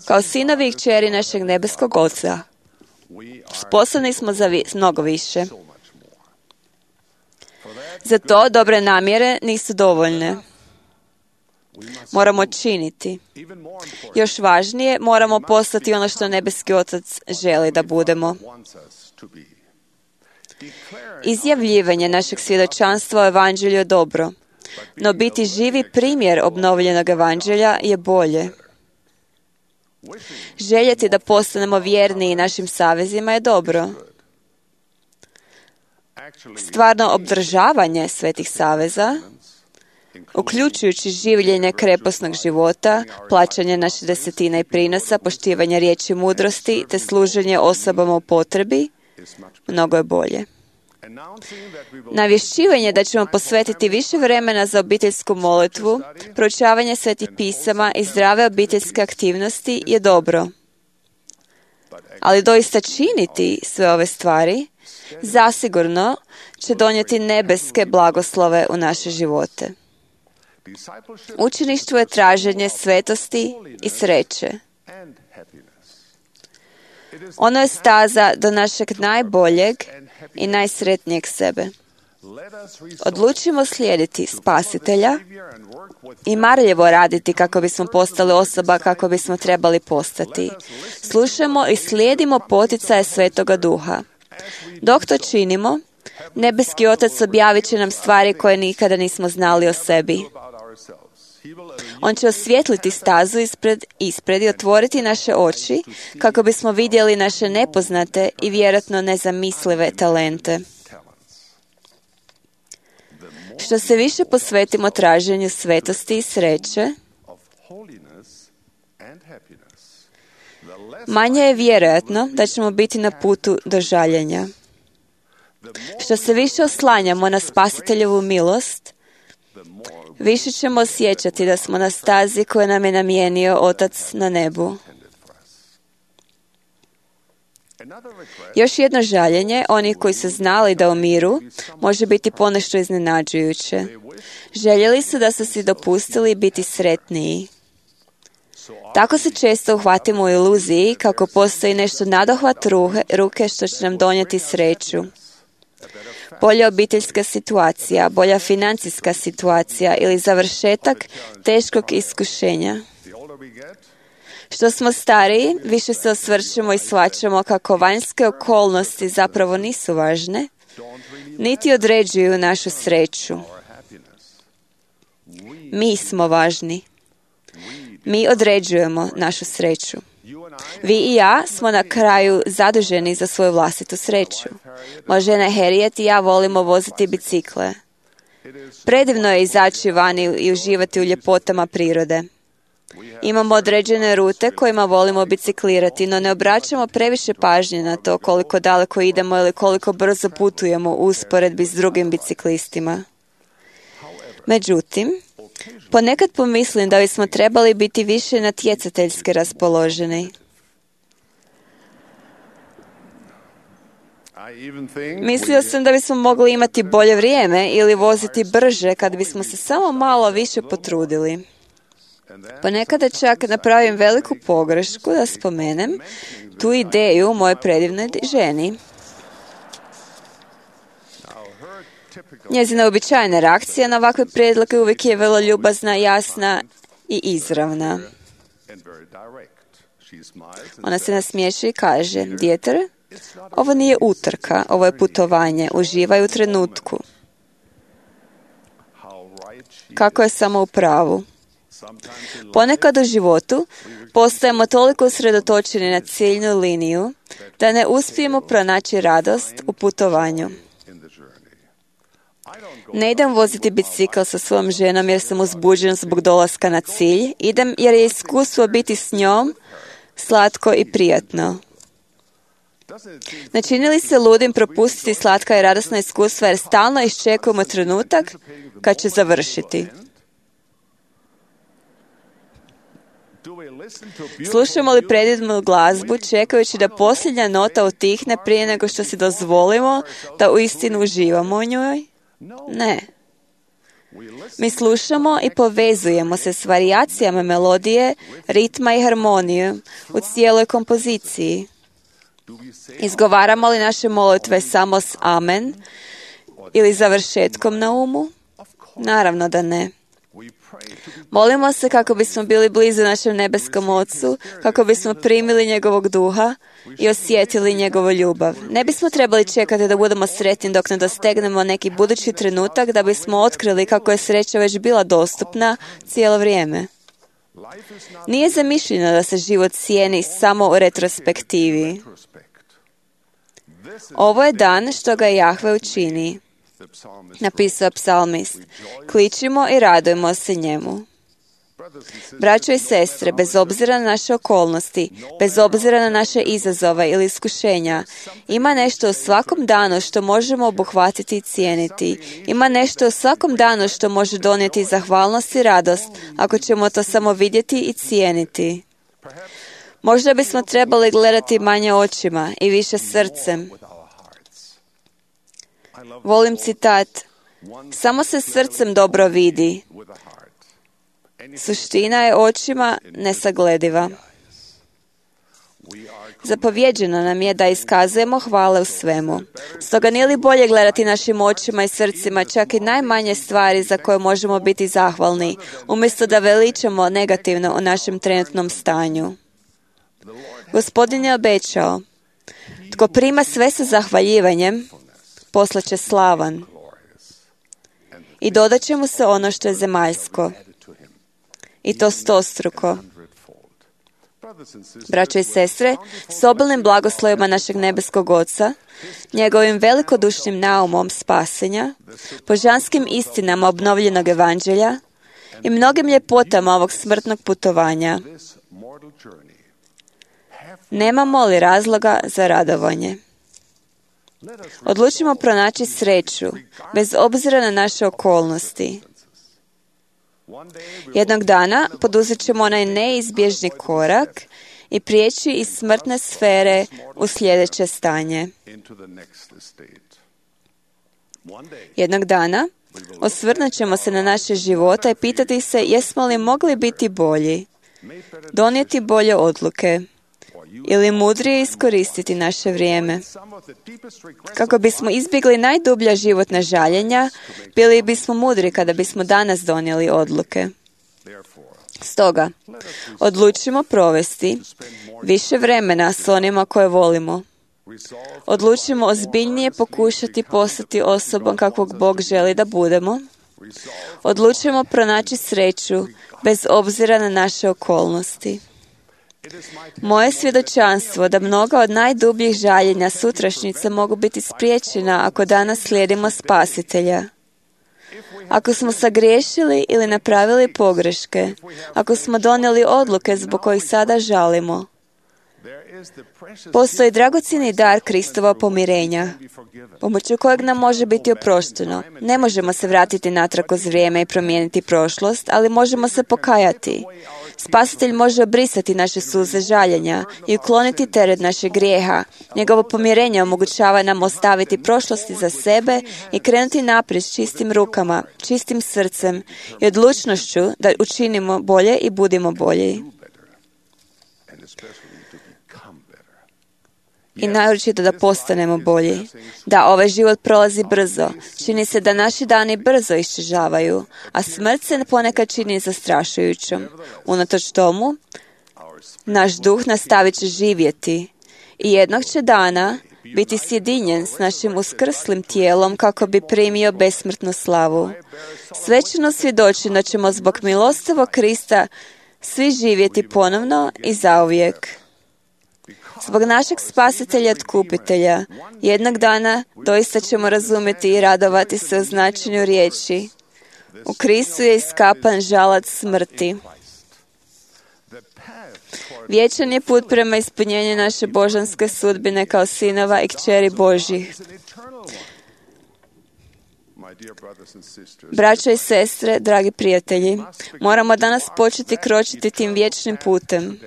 Kao sinovi i kćeri našeg nebeskog Oca, sposobni smo za vi, mnogo više. Za to dobre namjere nisu dovoljne. Moramo činiti. Još važnije, moramo postati ono što nebeski Otac želi da budemo. Izjavljivanje našeg svjedočanstva o evanđelju je dobro, no biti živi primjer obnovljenog evanđelja je bolje. Željeti da postanemo vjerniji našim savezima je dobro. Stvarno obdržavanje svetih saveza, uključujući življenje kreposnog života, plaćanje naše desetine i prinosa, poštivanje riječi mudrosti te služenje osobama u potrebi, mnogo je bolje. Navješćivanje da ćemo posvetiti više vremena za obiteljsku molitvu, proučavanje svetih pisama i zdrave obiteljske aktivnosti je dobro. Ali doista činiti sve ove stvari zasigurno će donijeti nebeske blagoslove u naše živote. Učeništvo je traženje svetosti i sreće. Ono je staza do našeg najboljeg i najsretnijeg sebe. Odlučimo slijediti Spasitelja i marljivo raditi kako bismo postali osoba kako bismo trebali postati. Slušajmo i slijedimo poticaje Svetoga Duha. Dok to činimo, nebeski Otac objavit će nam stvari koje nikada nismo znali o sebi. On će osvijetliti stazu ispred, ispred i otvoriti naše oči kako bismo vidjeli naše nepoznate i vjerojatno nezamislive talente. Što se više posvetimo traženju svetosti i sreće, manje je vjerojatno da ćemo biti na putu do žaljenja. Što se više oslanjamo na Spasiteljevu milost, više ćemo osjećati da smo na stazi koju nam je namijenio Otac na nebu. Još jedno žaljenje, oni koji su znali da umiru, može biti ponešto iznenađujuće. Željeli su da su si dopustili biti sretniji. Tako se često uhvatimo u iluziji kako postoji nešto nadohvat ruke što će nam donijeti sreću. Bolja obiteljska situacija, bolja financijska situacija ili završetak teškog iskušenja. Što smo stariji, više se osvrćemo i shvaćamo kako vanjske okolnosti zapravo nisu važne, niti određuju našu sreću. Mi smo važni. Mi određujemo našu sreću. Vi i ja smo na kraju zaduženi za svoju vlastitu sreću. Moja žena Harriet i ja volimo voziti bicikle. Predivno je izaći vani i uživati u ljepotama prirode. Imamo određene rute kojima volimo biciklirati, no ne obraćamo previše pažnje na to koliko daleko idemo ili koliko brzo putujemo u usporedbi s drugim biciklistima. Međutim, ponekad pomislim da bismo trebali biti više natjecateljski raspoloženi. Mislio sam da bismo mogli imati bolje vrijeme ili voziti brže kad bismo se samo malo više potrudili. Ponekada čak napravim veliku pogrešku da spomenem tu ideju moje predivne ženi. Njezina uobičajena reakcija na ovakve prijedloge uvijek je vrlo ljubazna, jasna i izravna. Ona se nasmiješi i kaže: "Djeter, ovo nije utrka, ovo je putovanje, uživaj u trenutku." Kako je samo u pravu. Ponekad u životu postajemo toliko usredotočeni na ciljnu liniju da ne uspijemo pronaći radost u putovanju. Ne idem voziti bicikl sa svojom ženom jer sam uzbuđen zbog dolaska na cilj. Idem jer je iskustvo biti s njom slatko i prijatno. Ne čini li se ludim propustiti slatka i radosna iskustva jer stalno iščekujemo trenutak kad će završiti? Slušamo li predivnu glazbu čekajući da posljednja nota utihne prije nego što si dozvolimo da uistinu uživamo u njoj? Ne. Mi slušamo i povezujemo se s varijacijama melodije, ritma i harmonije u cijeloj kompoziciji. Izgovaramo li naše molitve samo s amen ili završetkom na umu? Naravno da ne. Molimo se kako bismo bili blizu našem nebeskom Ocu, kako bismo primili njegovog duha i osjetili njegovu ljubav. Ne bismo trebali čekati da budemo sretni dok ne dostegnemo neki budući trenutak da bismo otkrili kako je sreća već bila dostupna cijelo vrijeme. Nije zamišljeno da se život cijeni samo u retrospektivi. Ovo je dan što ga Jahve učini, napisao psalmist. Kličimo i radujemo se njemu. Braćo i sestre, bez obzira na naše okolnosti, bez obzira na naše izazove ili iskušenja, ima nešto u svakom danu što možemo obuhvatiti i cijeniti. Ima nešto u svakom danu što može donijeti zahvalnost i radost, ako ćemo to samo vidjeti i cijeniti. Možda bismo trebali gledati manje očima i više srcem. Volim citat: samo se srcem dobro vidi. Suština je očima nesaglediva. Zapovjeđeno nam je da iskazujemo hvale u svemu. Stoga nije li bolje gledati našim očima i srcima čak i najmanje stvari za koje možemo biti zahvalni, umjesto da veličamo negativno o našem trenutnom stanju. Gospodin je obećao: tko prima sve sa zahvaljivanjem, poslaće slavan. I dodat će mu se ono što je zemaljsko. I to stostruko. Braćo i sestre, s obilnim blagoslovima našeg nebeskog Oca, njegovim velikodušnim naumom spasenja, božanskim istinama obnovljenog evanđelja i mnogim ljepotama ovog smrtnog putovanja, nemamo li razloga za radovanje? Odlučimo pronaći sreću, bez obzira na naše okolnosti. Jednog dana poduzet ćemo onaj neizbježni korak i prijeći iz smrtne sfere u sljedeće stanje. Jednog dana osvrnut ćemo se na naše živote i pitati se jesmo li mogli biti bolji, donijeti bolje odluke ili mudrije iskoristiti naše vrijeme. Kako bismo izbjegli najdublja životna žaljenja, bili bismo mudri kada bismo danas donijeli odluke. Stoga, odlučimo provesti više vremena s onima koje volimo. Odlučimo ozbiljnije pokušati postati osobom kakvog Bog želi da budemo. Odlučimo pronaći sreću bez obzira na naše okolnosti. Moje svjedočanstvo da mnoga od najdubljih žaljenja sutrašnjice mogu biti spriječena ako danas slijedimo Spasitelja. Ako smo sagriješili ili napravili pogreške, ako smo donijeli odluke zbog kojih sada žalimo, postoji dragocjeni dar Kristova pomirenja, pomoću kojeg nam može biti oprošteno. Ne možemo se vratiti natrag kroz vrijeme i promijeniti prošlost, ali možemo se pokajati. Spasitelj može obrisati naše suze žaljenja i ukloniti teret našeg grijeha. Njegovo pomirenje omogućava nam ostaviti prošlosti za sebe i krenuti naprijed s čistim rukama, čistim srcem i odlučnošću da učinimo bolje i budimo bolji. I naročito da postanemo bolji. Da, ovaj život prolazi brzo. Čini se da naši dani brzo iščežavaju, a smrt se ponekad čini zastrašujućom. Unatoč tomu, naš duh nastavit će živjeti i jednog će dana biti sjedinjen s našim uskrslim tijelom kako bi primio besmrtnu slavu. Svećano svjedoči da ćemo zbog milostivog Krista svi živjeti ponovno i zauvijek. Zbog našeg Spasitelja i Otkupitelja, jednog dana doista ćemo razumjeti i radovati se u značenju riječi. U Kristu je iskapan žalac smrti. Vječan je put prema ispunjenju naše božanske sudbine kao sinova i kćeri Božjih. Braćo i sestre, dragi prijatelji, moramo danas početi kročiti tim vječnim putem.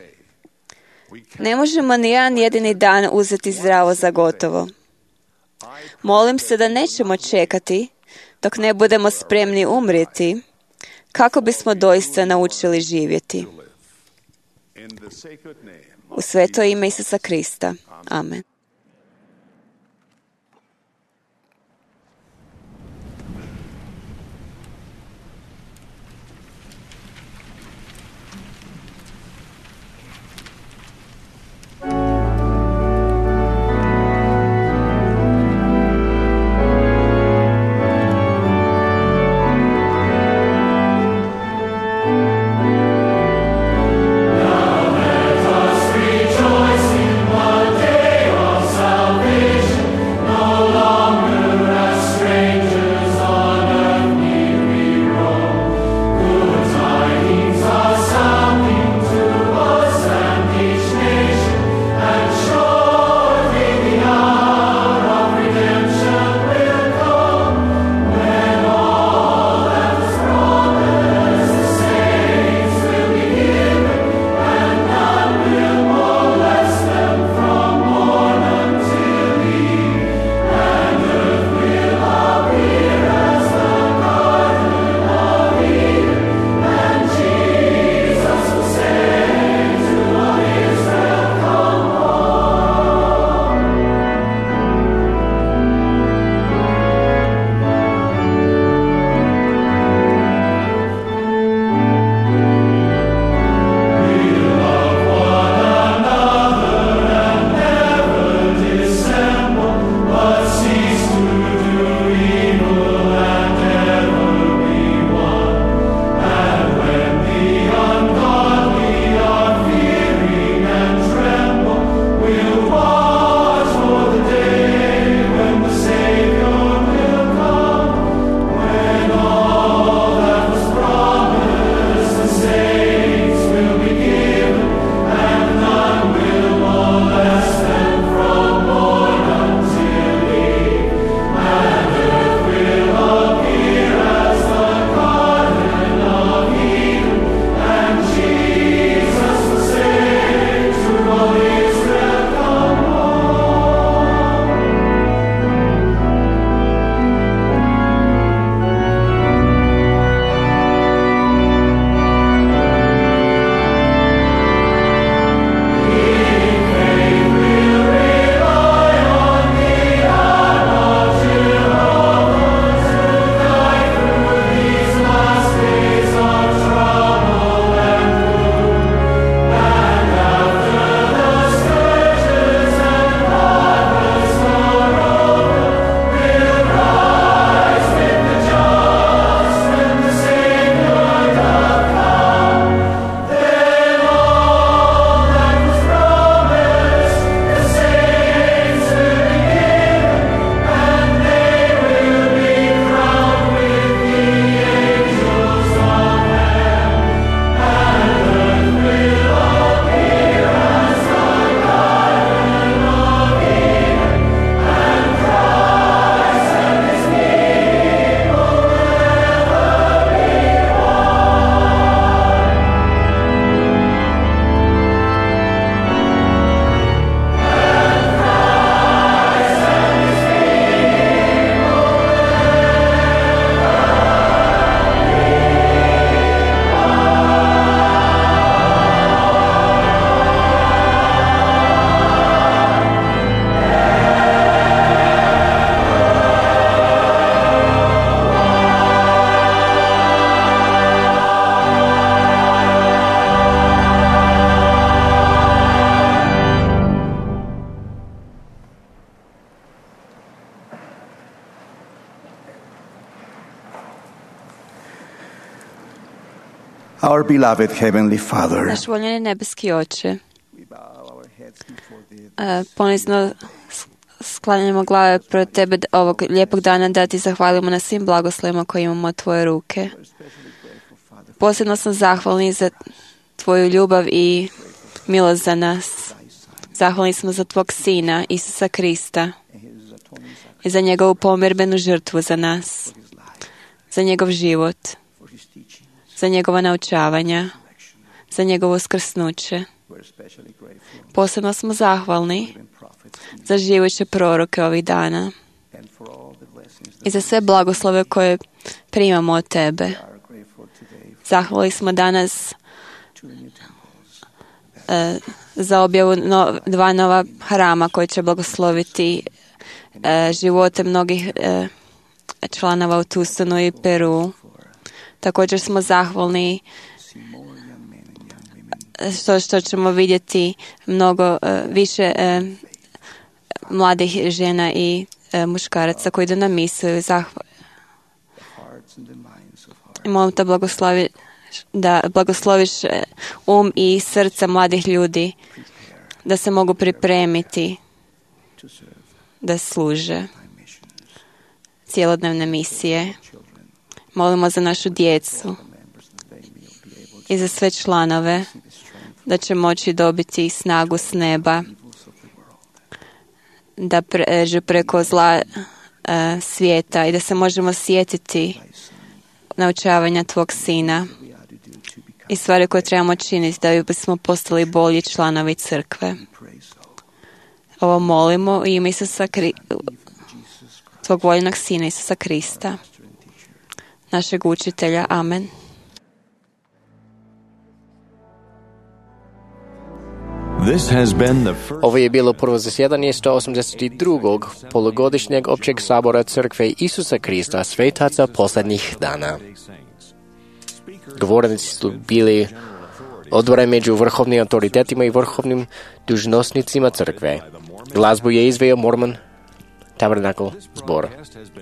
Ne možemo ni jedan jedini dan uzeti zdravo za gotovo. Molim se da nećemo čekati dok ne budemo spremni umrijeti, kako bismo doista naučili živjeti. U sveto ime Isusa Krista. Amen. Our beloved Heavenly Father, Naš voljeni nebeski Oče, ponizno sklanjamo glave pred Tebe ovog lijepog dana da Ti zahvalimo na svim blagoslovima koje imamo od Tvoje ruke. Posebno sam zahvalni za Tvoju ljubav i milost za nas. Zahvalni smo za Tvog Sina, Isusa Krista, i za njegovu pomirbenu žrtvu za nas, za njegov život, za njegova naučavanja, za njegovo skrsnuće. Posebno smo zahvalni za živuće proroke ovih dana i za sve blagoslove koje primamo od Tebe. Zahvali smo danas e, za objavu no, dva nova hrama koje će blagosloviti e, živote mnogih e, članova u Tucsonu i Peru. Također smo zahvalni što, što ćemo vidjeti mnogo uh, više uh, mladih žena i uh, muškaraca koji idu na misiju. Zahval... Molim te blagoslovi, da blagosloviš um i srca mladih ljudi da se mogu pripremiti da služe cijelodnevne misije. Molimo za našu djecu i za sve članove da će moći dobiti snagu s neba da pređu preko zla uh, svijeta i da se možemo sjetiti naučavanja Tvog Sina i stvari koje trebamo činiti da bismo postali bolji članovi crkve. Ovo molimo u ime Isusa Kri... Tvog voljenog Sina Isusa Krista, našeg učitelja. Amen. Ovo je bilo prvo zasjedanje sto osamdeset drugog polugodišnjeg općeg sabora Crkve Isusa Krista svetaca posljednjih dana. Govornici su bili odvore među vrhovnim autoritetima i vrhovnim dužnosnicima crkve. Glazbu je izveo Mormon Tabernacle zbor.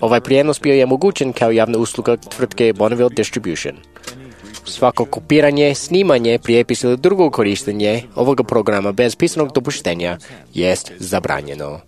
Ovaj prijenos bio je omogućen kao javna usluga tvrtke Bonneville Distribution. Svako kopiranje, snimanje, prijepis ili drugo korištenje ovoga programa bez pisanog dopuštenja jest zabranjeno.